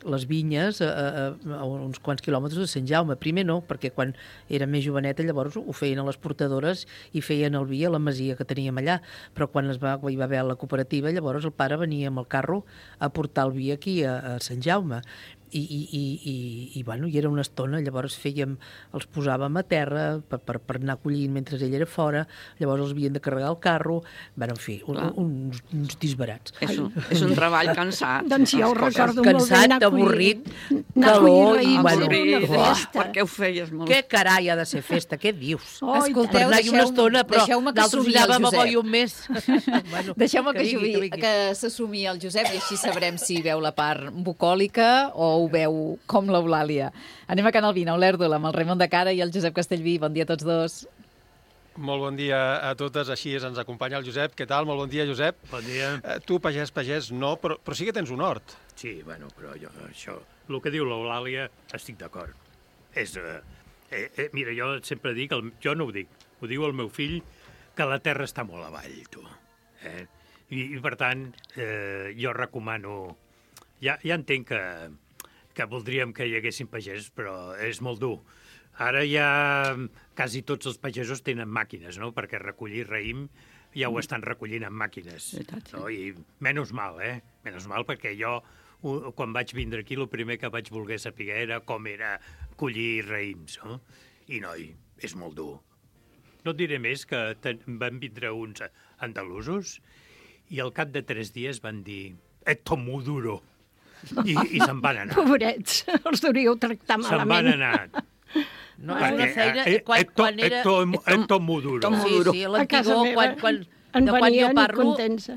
les vinyes a, a, a uns quants quilòmetres de Sant Jaume. Primer no, perquè quan era més joveneta llavors ho feien a les portadores i feien el vi a la masia que teníem allà, però quan es va, hi va haver la cooperativa llavors el pare venia amb el carro a portar el vi aquí a, a Sant Jaume. I, i, i, i, i, bueno, i era una estona, llavors fèiem, els posàvem a terra per, per, per anar collint mentre ell era fora, llavors els havien de carregar el carro, bueno, en fi, un, uns, uns disbarats. És un, és un treball cansat. Doncs jo ho recordo molt bé, cansat, anar a collir- avorrit, anar a collir calor, raïms, i bueno, era una festa. Per què ho feies molt? Què carai ha de ser festa, què dius? Oh, i Escolteu, per anar-hi una deixeu- estona, però deixeu-me que d'altres sumi el anàvem a Josep. boi un mes. Bueno, Deixeu-me que, vingui, jugui, que vingui. que s'assumi el Josep i així sabrem si veu la part bucòlica o ho veu com l'Eulàlia. Anem a Can Albina, Olèrdola, amb el Raimon de Cara i el Josep Castellví. Bon dia a tots dos. Molt bon dia a totes, així ens acompanya el Josep. Què tal? Molt bon dia, Josep. Bon dia. Eh, tu, pagès, pagès, no, però, però sí que tens un hort. Sí, bueno, però jo, això, el que diu l'Eulàlia, estic d'acord. És, eh, eh, eh, mira, jo sempre dic, el, jo no ho dic, ho diu el meu fill, que la terra està molt avall, tu. Eh? I, I, per tant, eh, jo recomano... Ja, ja entenc que, que voldríem que hi haguessin pagesos, però és molt dur. Ara ja quasi tots els pagesos tenen màquines, no?, perquè recollir raïm ja ho estan recollint amb màquines. No? I menys mal, eh? Menys mal, perquè jo, quan vaig vindre aquí, el primer que vaig voler saber era com era collir raïms, no? I, noi, és molt dur. No et diré més que ten, van vindre uns andalusos i al cap de tres dies van dir «Esto muy duro». I, i se'n van anar. Pobrets, els deuríeu tractar Se'n malament. van anar. No, és una feina... Quan, quan era... Esto, esto muy duro. Sí, sí, l'antigó, quan, quan, en de quan jo venien parlo... contents.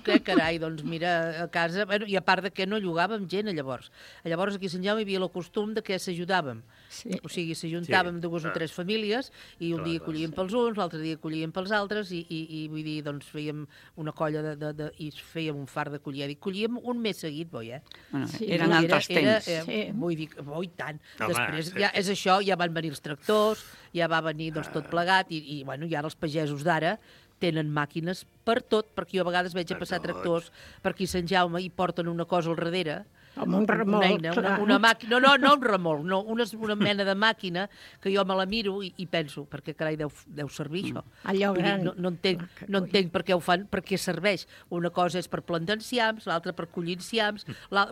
Que carai, doncs mira, a casa... Bueno, i a part de que no llogàvem gent, llavors. Llavors aquí a Sant Jaume hi havia el costum de que s'ajudàvem. Sí. O sigui, s'ajuntàvem Sí, dues o clar. tres famílies i un Clar, dia clar, collíem pels uns, l'altre dia collíem pels altres i, i, i vull dir, doncs fèiem una colla de, de, de, i fèiem un far de collir. Dic, collíem un mes seguit, boi, eh? Bueno, Sí. eren Era- altres era, temps. eh, Sí. Vull dir, oh, i tant. Home, Després, sí. ja, és això, ja van venir els tractors, ja va venir doncs, tot plegat, i, i, bueno, i ara els pagesos d'ara tenen màquines per tot, perquè jo a vegades veig a Per passar tot. tractors per aquí a Sant Jaume i porten una cosa al darrere, Com un una remolc, eina, una, clar. una màquina, no, no, no un remolc, no, una, una mena de màquina que jo me la miro i, i penso, perquè carai deu, deu servir això. Allò Vull dir, gran. no, no entenc, Ah, que no coi. entenc per què ho fan, per què serveix. Una cosa és per plantar enciams, l'altra per collir enciams, la,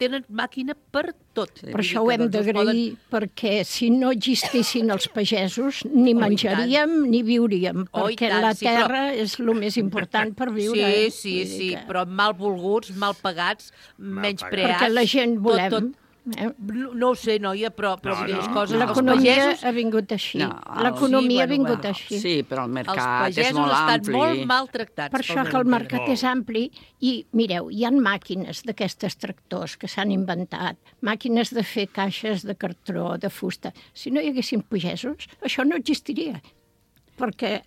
tenen màquina per tot. Per això ho hem doncs, d'agrair, perquè si no existissin els pagesos, ni Oh, i menjaríem ni viuríem, Oh, i perquè tant, la sí, però- terra és el més important per viure. Sí, eh? sí, Vull dir sí, que- però mal volguts, mal pagats, menys preats. Perquè la gent volem. Tot, tot. Eh? No, no ho sé, noia, però, però No, vull dir, les no, coses... no. els L'economia pagesos, ha vingut així. No, L'economia sí, ha vingut bueno, així. Sí, però el els mercat és pagesos molt estan ampli. molt maltractats. Per això pel que el meu mercat Molt. és ampli i, mireu, hi ha màquines d'aquestes tractors que s'han inventat, màquines de fer caixes de cartró, de fusta. Si no hi haguessin pagesos, això no existiria. Perquè,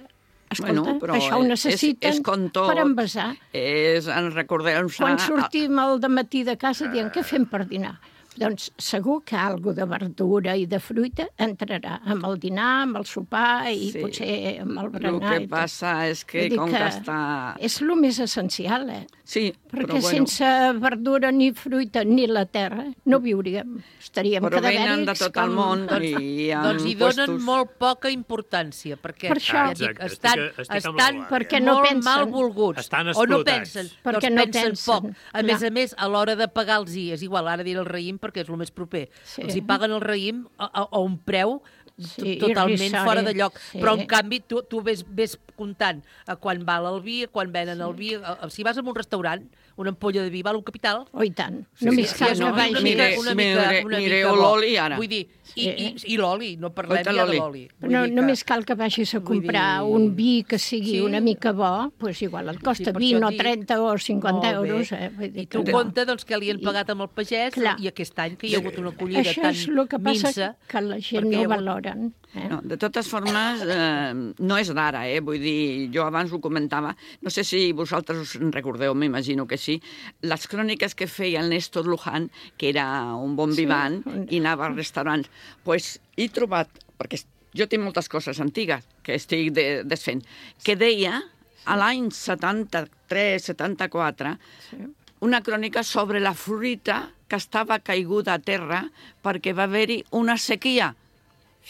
escolta, Bueno, però això ho és- necessiten és, és com tot. per envasar. És, en recordeu-se... Quan sortim al dematí de casa dient què fem per dinar? Doncs segur que algo de verdura i de fruita entrarà amb el dinar, amb el sopar i Sí. potser amb el El berenar. que i tot. passa és que, Vull dir com que, està... És el més essencial, eh? Sí, Perquè però bueno, sense verdura ni fruita ni la terra no viuríem. Estaríem però venen de cadavèrics tot el com- món i hi ha Doncs hi donen puestos... molt poca importància, perquè Per això. ja dic, Exacte, estan, estic- estic amb estan l'Eulàlia. Perquè no molt pensen. mal volguts. Estan o no explotats. pensen, Perquè doncs no pensen, pensen, poc. A clar. més a més, a l'hora de pagar els I, és igual, ara diré el raïm perquè és el més proper. Sí. Els hi paguen el raïm a, a, a un preu Sí, totalment irrisori, fora de lloc. sí. Però, en canvi, tu, tu ves, ves comptant a quan val el vi, a quan venen el vi. A, a, si vas a un restaurant, una ampolla de vi val un capital. Oh, i tant. Sí, Només sí, cal sí, que no, vagi... una mica, Mire- una mica, mire- una mireu mica bo. l'oli ara. Vull dir, i, i, Sí. i l'oli, no parlem Oita ja de l'oli. l'oli. Vull No, dir que- només cal que vagis a vull comprar dir- un vi que sigui Sí. una mica bo, doncs igual et costa Sí, per vint això o dic- trenta o cinquanta Molt bé. euros. Eh? Vull dir I tu que- compte doncs, que li han pagat amb el pagès Clar. i aquest any que hi ha hagut una collida Això tan és el que passa, minsa. que la gent perquè hi no ha hagut- valoren. Eh? No, de totes formes, eh, no és d'ara, eh? Vull dir, jo abans ho comentava, no sé si vosaltres us en recordeu, m'imagino que sí, les cròniques que feia el Néstor Luján, que era un bon Sí. vivant, i anava als restaurants, pues, he trobat, perquè jo tinc moltes coses antigues que estic de, desfent, que deia, a l'any setanta-tres setanta-quatre, Sí. una crònica sobre la fruita que estava caiguda a terra perquè va haver-hi una sequia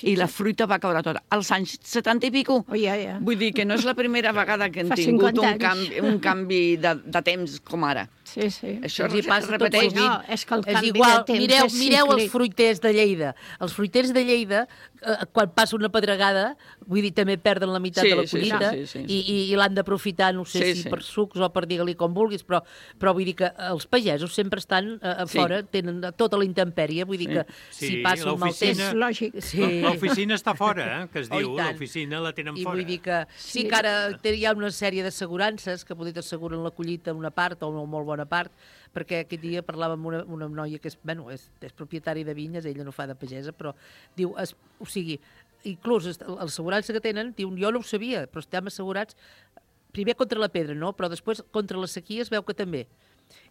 i la fruita va caure tota. Als anys setanta i pico. Oh, ja, ja. Vull dir que no és la primera vegada que hem Fa tingut cinquanta un anys. canvi, un canvi de, de temps com ara. Sí, sí. Això Ens hi passa tot repeteix. sovint. No, és que el és canvi igual. de temps mireu, és mireu els cíclic. fruiters de Lleida. Els fruiters de Lleida, eh, quan passa una pedregada, vull dir, també perden la meitat Sí, de la sí, collita sí, sí, sí. i, i, i l'han d'aprofitar, no sé Sí, si sí. per sucs o per digue-li com vulguis, però, però vull dir que els pagesos sempre estan a, a Sí. fora, tenen tota la intempèrie, vull dir que Sí, si passa un mal temps... l'oficina- És lògic. Sí. L'oficina està fora, eh, que es Oh, i diu. tant. L'oficina la tenen I fora. vull dir que sí, Sí. que ara té- hi ha una sèrie d'assegurances que potser t'asseguren la collita una part o una molt bona part, perquè aquest dia parlava amb una, una noia que és, bueno, és, és propietària de vinyes, ella no fa de pagesa, però diu, es, o sigui, inclús est- l'assegurança que tenen, diu, jo no ho sabia, però estem assegurats primer contra la pedra, no? Però després contra la sequia es veu que també.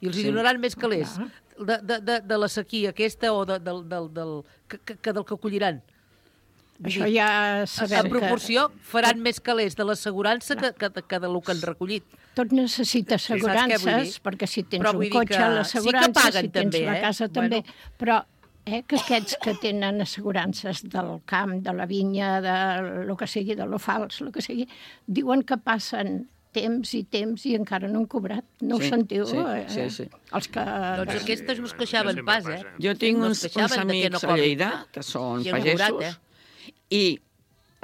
I els Sí. hi donaran més calés Clar. de, de, de, de la sequia aquesta o de, del, del, del, que, que, que del que colliran. Vull Això dir, ja sabem en proporció faran més calés de l'assegurança que, que, que del que han recollit. Tot necessita Saps què vull dir? assegurances, perquè si tens Però vull un dir cotxe, que l'assegurança, sí que paguen si tens també, la eh? casa Bueno. també. Però eh, que aquests que tenen assegurances del camp, de la vinya, de lo que sigui, de lo fals, lo que sigui, diuen que passen temps i temps i encara no han cobrat. No Sí, ho sentiu? sí, eh? sí, sí. Els que... Doncs aquestes no es queixaven pas, eh? Jo tinc No uns, es queixaven uns de que amics no a cobrin. Lleida, que són I han pagesos, cobrat, eh? i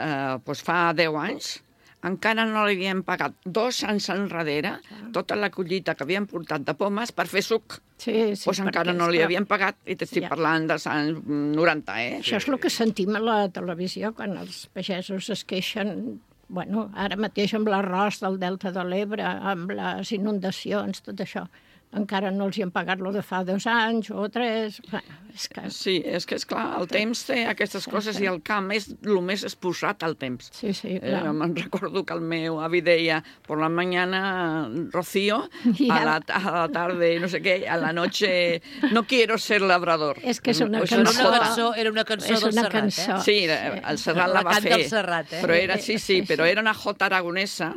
eh, doncs fa deu anys encara no li havien pagat dos anys enrere tota la collita que havien portat de pomes per fer suc. Sí, sí, doncs encara perquè, no li esclar, havien pagat, i t'estic Ja. parlant dels anys noranta, eh? Això és el que sentim a la televisió, quan els pagesos es queixen, bueno, ara mateix amb l'arròs del Delta de l'Ebre, amb les inundacions, tot això. Encara no els hi han pagat lo de fa dos anys o tres. Bueno, és que... Sí, és que, esclar, el temps té aquestes coses i el camp és el més exposat al temps. Sí, sí, Eh, clar. me'n recordo que el meu avi deia por la mañana rocío, I a a la, a la tarde no sé què, a la noche no quiero ser labrador. És que és una Això Era cançó. una cançó, era una cançó És del una Serrat, cançó. eh? Sí, el Serrat la, La va canta fer. el Serrat, eh? Però era, sí, sí, Sí, però sí. era una jota aragonesa,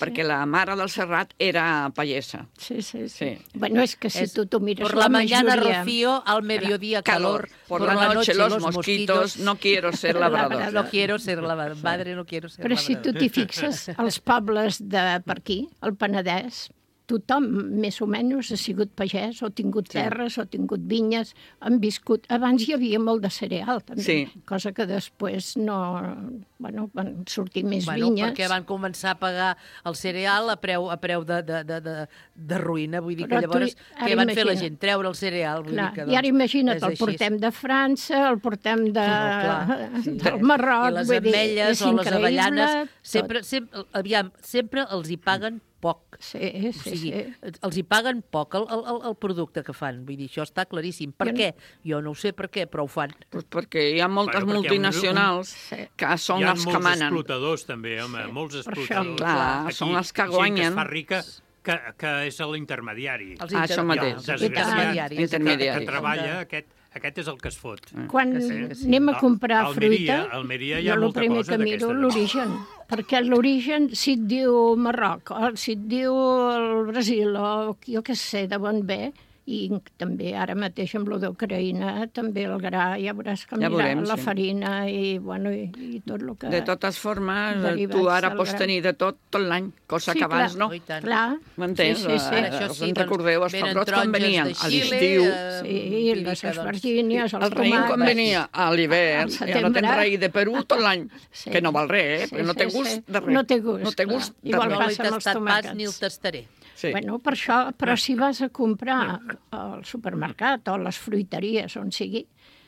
perquè la mare del Serrat era pagesa. Sí, sí, sí. Sí. Bueno, és que si És tu t'ho mires, Por la mañana majoria... rocío, al mediodía calor, Por la noche los mosquitos, no quiero ser labrador. No quiero ser labrador, madre, no quiero ser Però si labrador. tu t'hi fixes, als pobles de per aquí, al Penedès, tothom més o menys ha sigut pagès, o tingut Sí. terres, o tingut vinyes, han viscut... Abans hi havia molt de cereal, també, Sí. cosa que després no... Bueno, van sortir més Bueno, vinyes. perquè van començar a pagar el cereal a preu, a preu de, de, de, de, de ruïna. Vull dir Però que tu- llavors, ara què van fer la imagina't. gent? Treure el cereal. Vull Clar, dir que, i ara doncs, imagina't, és el així. portem de França, el portem de, No, clar, sí. del Marroc, I les vull dir, ametlles és o les increïble, avellanes, tot. sempre, sempre, aviam, sempre els hi paguen poc. Sí, O sí, sigui, sí. els hi paguen poc el, el, el producte que fan. Vull dir, això està claríssim. Per Jo no- què? Jo no ho sé per què, però ho fan. Pues perquè hi ha moltes Bueno, perquè hi ha un- multinacionals que són Hi ha els que molts manen. explotadors, també, home, molts Per això, explotadors. clar, Aquí, són els que gent guanyen. que es fa rica, que, que és l'intermediari. Els Ah, això mateix. El desgraciat que, Intermediari. que treballa, aquest, aquest és el que es fot. Quan Que sí, que sí. anem a comprar A Almeria- fruita, Almeria hi ha jo el molta primer cosa que miro d'aquesta. l'origen, perquè l'origen, si et diu Marroc, o si et diu el Brasil, o jo què sé, de on ve, i també ara mateix amb lo d'Ucraïna, també el gra, ja veuràs que Ja mira, veurem, la sí. farina i, bueno, i, i tot el que... De totes formes, derivats tu ara del pots gra. tenir de tot, tot l'any, cosa Sí, que abans clar. no. Oh, i tant. Clar, M'entens? sí, sí, sí. Eh, Això us sí, en doncs, recordeu, els venen pebrots quan taronges venien de a Xile, l'estiu, eh, Sí, vull dir les que, doncs, espargínies, els el raïm quan tomàquets. venia a l'hivern, Al ja no setembre. tens raïm de Perú tot l'any, Sí. que no val res, eh? Sí, perquè no té sí, gust sí. de res. No té gust, No té clar. gust de Igual no res. l'he passa amb els tastat pas tomàquets. ni el tastaré. Sí. Bueno, per això, però si vas a comprar al supermercat o a les fruiteries, on sigui,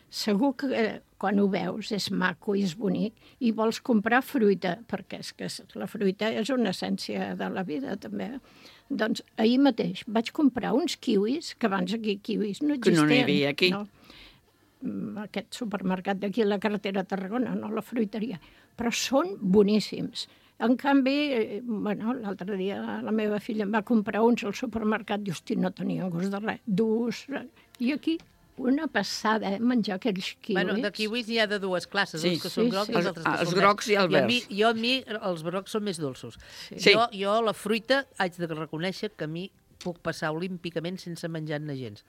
segur que eh, quan ho veus és maco i és bonic i vols comprar fruita, perquè és que la fruita és una essència de la vida, també. Doncs ahir mateix vaig comprar uns kiwis, que abans aquí kiwis no Que existien. no n'hi havia aquí. No. Mm, Aquest supermercat d'aquí a la carretera de Tarragona, no la fruiteria. Però són boníssims. En canvi, eh, bueno, l'altre dia la meva filla em va comprar uns al supermercat i, hosti, no tenien gust de res. Durs. I aquí, una passada, eh, menjar aquells kiwis. Bueno, de kiwis n'hi ha de dues classes, Sí. els que són Sí, grocs sí. i els altres que Els- són els grocs i els verds. a mi, verds. jo, a mi, els grocs són més dolços. Sí. Jo, jo, la fruita, haig de reconèixer que a mi puc passar olímpicament sense menjar-ne gens.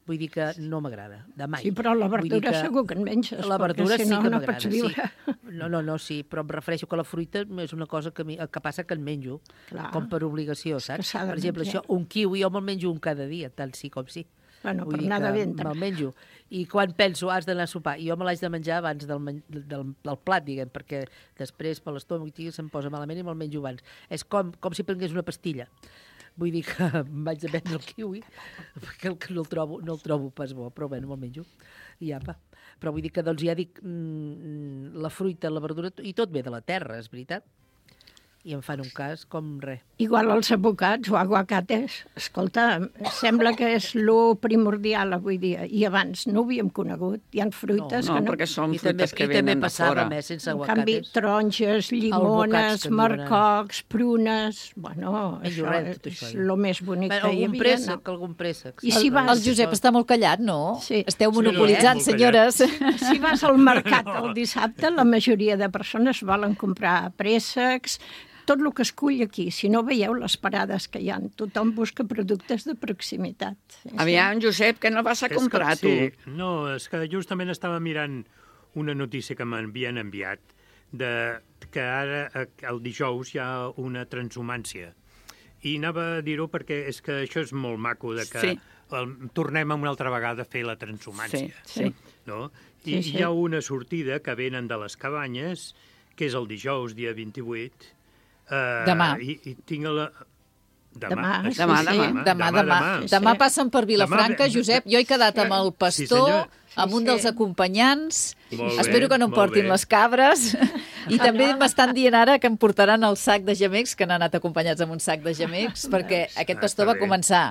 Vull dir que no m'agrada, de mai. Sí, però la verdura que... segur que en menges, la verdura si no, sí que no m'agrada. pots viure. Sí. No, no, no, sí, però em refereixo que la fruita és una cosa que, mi, que passa que en menjo, Clar. com per obligació, saps? Per exemple, això, un kiwi jo me'l menjo un cada dia, tant sí com sí. Bueno, Vull per anar de ventre. Me'l menjo. I quan penso, has d'anar a sopar, i jo me l'haig de menjar abans del, del, del plat, diguem, perquè després per l'estómac se'm posa malament i me'l menjo abans. És com, com si prengués una pastilla. Vull dir que em vaig a prendre el kiwi, perquè el, no, el trobo, no el trobo pas bo, però bé, no me'l menjo. I apa. Però vull dir que, doncs, ja dic, mmm, la fruita, la verdura, i tot ve de la terra, és veritat. I em fan un cas com res. Igual els abocats o aguacates, escolta, sembla que és lo primordial avui dia, i abans no ho havíem conegut. Hi ha fruites no, no, que no... perquè són I fruites també, que venen de fora. I també sense En aguacates. canvi, taronges, llimones, marcocs, prunes... Bueno, això res, és, tot això, és el més bonic Bé, que hi algun havia. préssec, no? algun préssec. I si vas... El Josep està molt callat, no? Sí. Esteu monopolitzant, Sí, senyores. Si vas al mercat el dissabte, la majoria de persones volen comprar préssecs, tot el que es cull aquí. Si no veieu les parades que hi ha, tothom busca productes de proximitat. Sí, Aviam, Josep, que no vas a comprar, és tu? que, sí, no, és que justament estava mirant una notícia que m'havien enviat de que ara, el dijous, hi ha una transhumància. I anava a dir-ho perquè és que això és molt maco, de que Sí. el, tornem una altra vegada a fer la transhumància. Sí, sí. No? I Sí, sí. hi ha una sortida que venen de les cabanyes, que és el dijous, dia vint-i-vuit. Uh, Demà. I, i tinc la... Demà, Demà, sí, demà, sí, demà. Demà, demà. demà. Demà passen per Vilafranca, Demà- Josep. Jo he quedat amb el Sí, pastor, senyor. amb un dels acompanyants. Molt bé, Espero que no em molt portin bé. les cabres. I també m'estan dient ara que em portaran el sac de gemecs, que han anat acompanyats amb un sac de gemecs, perquè aquest Ah, pastor està va bé. començar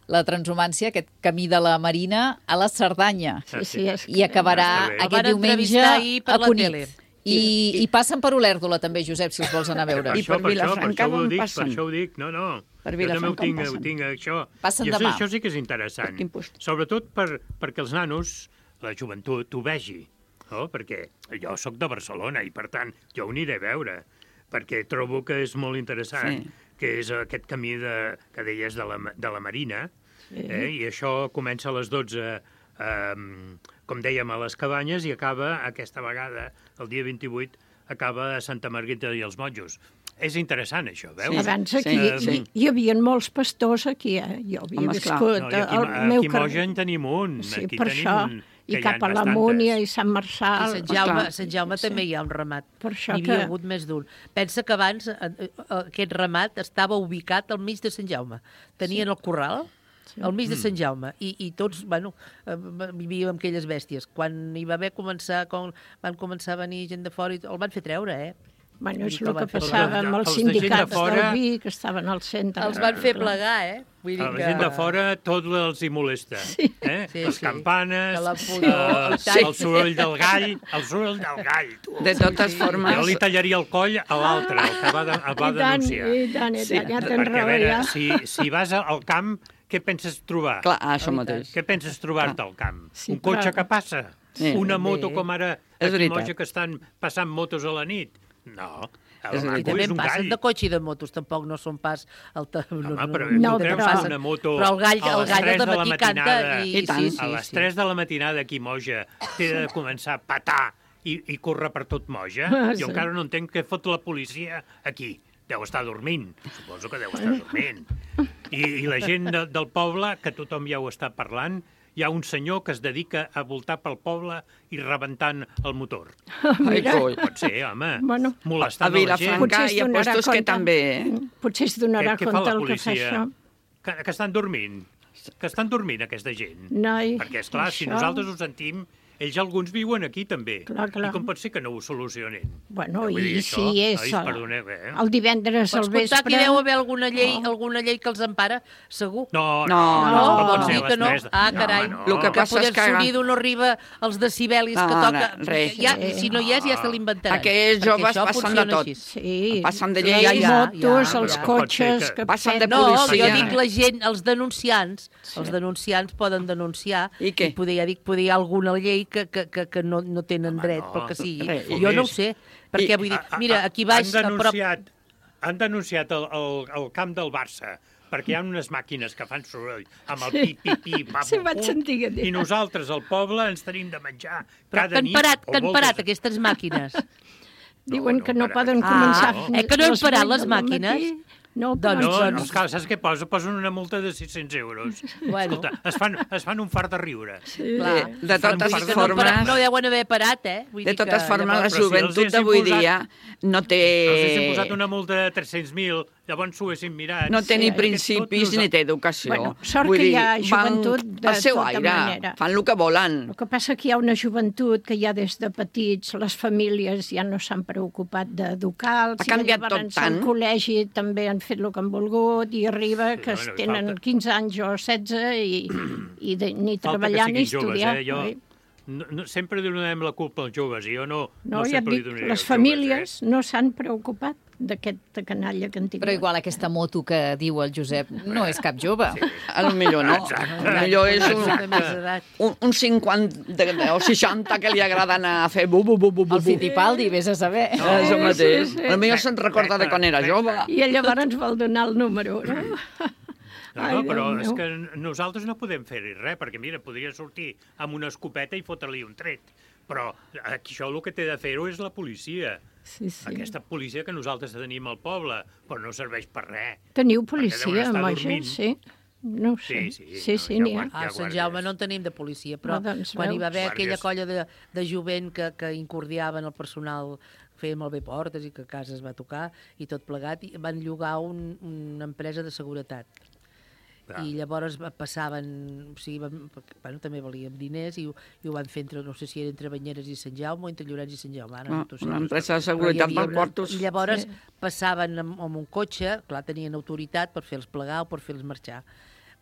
la transhumància, aquest camí de la Marina, a la Cerdanya. Sí, sí, és I acabarà Està bé. El aquest van diumenge entrevistar ahir per a la Cunit. tele. I, I passen per Olèrdola també, Josep, si els vols anar a veure. Per això, per això, per això ho dic, per això ho dic, no, no. Per Jo també ho Vilafranca on tinc, ho passen? tinc, això. Passen I això, demà. això sí que és interessant. Sobretot per, perquè els nanos, la joventut, ho vegi. No? Perquè jo sóc de Barcelona i, per tant, jo ho aniré a veure. Perquè trobo que és molt interessant, Sí. que és aquest camí de, que deies de la, de la Marina, Sí. eh? I això comença a les dotze, eh, com dèiem, a les cabanyes, i acaba, aquesta vegada, el dia vint-i-vuit, acaba a Santa Margarita i els Monjos. És interessant, això, veus? Abans aquí hi, hi havia molts pastors aquí, eh? Jo havia Home, viscut no, i aquí, al meu aquí a Moja carrer. en tenim un. Sí, aquí per tenim això. un, I que cap hi ha a la bastantes. Múnia i Sant Marçal. I Sant Jaume, Clar. Sant Jaume Sí. també hi ha un ramat. Per això N'hi havia que- hagut més d'un. Pensa que abans eh, eh, aquest ramat estava ubicat al mig de Sant Jaume. Tenien Sí. el corral al mig de Mm. Sant Jaume i, i tots, bueno, eh, vivíem amb aquelles bèsties. Quan hi va haver començar, quan van començar a venir gent de fora, i el van fer treure, eh? Bueno, és Vull dir el van que fer passava plegar. amb els Els de gent de sindicats fora- del vi que estaven al centre. Els van fer plegar, eh? Vull dir A la que... gent de fora tot els hi molesta. Sí. Eh? Sí, Les sí. campanes, Que la pudor, eh, el tall. el soroll del gall, el soroll del gall. Tu. De totes formes- Jo li tallaria el coll a l'altre, el que va, de, el va I tant, denunciar. i tant, i tant, ja tens Perquè, a raó, veure, ja. si, si vas al camp, què penses trobar? Clar, això mateix. Què penses trobar-te al camp? Sí, Un cotxe però- que passa? Sí. Una moto Bé. com ara És aquí a veritat. Moja que estan passant motos a la nit? No. El I maco també és un passen gall. de cotxe i de motos, tampoc no són pas... El ta... no, Home, però no, tu creus passen. que una moto Però el gall, a el les gall tres al de la matí canta matinada, i... sí, sí, a les sí. tres de la matinada aquí a Moja té de començar a patar i, i córrer per tot Moja? Ah, Jo sí. encara no entenc què fot la policia aquí. Deu estar dormint. Suposo que deu estar dormint. I, i la gent de, del poble, que tothom ja ho està parlant, hi ha un senyor que es dedica a voltar pel poble i rebentant el motor. Mira. Pot ser, home. Bueno, Molestant a Vilafranca Potser es hi ha donarà puestos que compte. també, eh? Potser es donarà Què- què fa compte la el que fa policia? això. Que, que estan dormint. Que estan dormint, aquesta gent. Noi, Perquè, esclar, si això- nosaltres ho sentim, ells alguns viuen aquí també. Clar, clar. I com pot ser que no ho solucionin? Bueno, Vull dir, i això, si és nois, el, perdoneu, eh? el divendres al Pots comptar que vespre... hi deu haver alguna llei, alguna llei que els empara, segur. No, No, no, no, no, no. pot ser Dir a les que no. tres. Ah, No, carai. no. Lo que Que passa poder és que... sonido no arriba als decibelis que Ah, toca. res. Ja, si no hi és, ja se l'inventaran. Aquells Perquè joves això passen de funciona tot. així. Sí, Passen de les lleis. motos, ja, els ja. cotxes... Pot ser Que Passen de No, policia. jo dic la gent, els denunciants, els denunciants poden denunciar I què? i poder, ja dic, poder hi ha alguna llei que, que, que, que no, no tenen Home, dret no. pel que sigui. Res. Jo no ho Més. sé, perquè I- vull dir, A- a- mira, aquí baix... Han a prop... denunciat, han denunciat el, el, el camp del Barça, perquè hi ha unes màquines que fan soroll amb el Sí. pi-pi-pi, papu, Sí, vaig sentir que dir. i nosaltres al poble ens tenim de menjar Però cada que han nit. parat, o que han moltes- parat aquestes màquines. Diuen que no poden Ah, començar no. fins Eh, que no han les parat vuit les del màquines? matí. No, Doncs- No, però- no, esclar, saps què posa? Posen una multa de sis-cents euros. Bueno. Escolta, es fan, es fan un fart de riure. Sí. Clar, de Es fan un totes fart de formes- riure. No deuen haver parat, eh? Vull De dir que totes formes, la llavors- Però si els joventut haguessin d'avui posat- dia no té... Els haguessin posat una multa de tres-cents mil, llavors s'ho haguessin mirat. No té Sí, ni aquest principis tot ni té educació. Bueno, sort Vull que dir, hi ha van joventut de al seu tota aire, manera. fan el que volen. El que passa que hi ha una joventut que ja des de petits les famílies ja no s'han preocupat d'educar-los. Ha canviat i llavors tot tant. al col·legi també han fet el que han volgut i arriba que bueno, i tenen falta- quinze anys o setze i, i de, ni Falta treballar que ni siguin joves, estudiar. eh? Jo, oi? no, no, sempre li donem la culpa als joves, i jo no, No, no ja et sempre dic, li donaré les als famílies no s'han preocupat d'aquesta canalla que han tingut. Però igual aquesta moto que diu el Josep no és cap jove. Sí. A lo millor no. A lo millor és un, De més edat. un, un cinquanta o seixanta que li agrada anar a fer bu, bu, bu, bu, bu. El Fittipaldi, vés a saber. No, és el mateix. Sí, sí. A lo millor se'n recorda de quan era jove. I llavors ens vol donar el número, no? No, Ai, no, però Déu és meu. que nosaltres no podem fer-hi res, perquè mira, podria sortir amb una escopeta i fotre-li un tret. Però aquí això el que té de fer-ho és la policia. Sí, sí. Aquesta policia que nosaltres tenim al poble, però no serveix per res. Teniu Perquè deuen policia, estar Moixes? dormint. Sí. No ho sé. Sí, sí, sí, no, sí ja n'hi ha. guarda. A Sant Jaume no en tenim de policia, però Ah, doncs quan hi va haver veus. aquella Guàrdies. colla de, de jovent que, que incordiaven el personal, feien malbé portes i que a casa es va tocar i tot plegat, i van llogar un, una empresa de seguretat. Clar. I llavors va- passaven, o sigui, van, perquè, bueno, també valien diners i, ho- i ho van fer entre, no sé si era entre Banyeres i Sant Jaume o entre Llorenç i Sant Jaume. Ara no, No, t'ho sé. una empresa de Però hi seguretat havia pel una- quartos. I llavors Sí. passaven amb, amb un cotxe, clar, tenien autoritat per fer-los plegar o per fer-los marxar.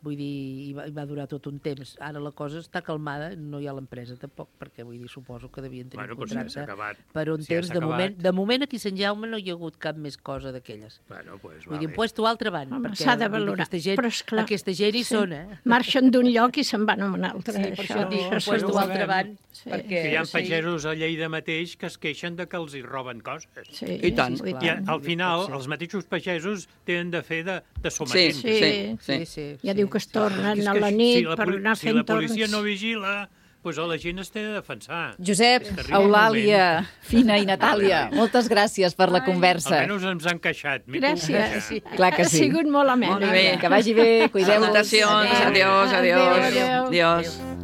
Vull dir, i va, i va durar tot un temps. Ara la cosa està calmada, no hi ha l'empresa tampoc, perquè vull dir, suposo que devien tenir Bueno, un doncs ja s'ha contracte acabat. per un Si ja temps. s'ha De acabat. moment, de moment aquí a Sant Jaume no hi ha hagut cap més cosa d'aquelles. Bueno, pues, Vull dir, vale. en puesto altre van, Home, perquè s'ha de vull dir, valorar. aquesta gent, Però, esclar, aquesta gent hi són, eh? Marxen d'un lloc i se'n van a un altre. Sí, per això dic, en segur. puesto ho altre sabem. van, Sí. perquè... Que hi ha sí. pagesos a Lleida mateix que es queixen de que els hi roben coses. Sí, I tant. sí, I al final, els mateixos pagesos tenen de fer de, de Sí, sometents. sí, sí. Sí, sí, Ja sí. diu que es tornen És a que la si nit la per poli- anar Si fent la policia torns. no vigila, doncs la gent es té de defensar. Josep, És que arriba un Eulàlia, moment- Fina i Natàlia, moltes gràcies per la conversa. Almenys ens han queixat. m'he pogut Gràcies. queixar. Clar que Ha sí. sigut molt amena. Molt bé. Que vagi bé, cuideu-vos. Salutacions, adiós, adiós. Adéu, adéu. Adiós.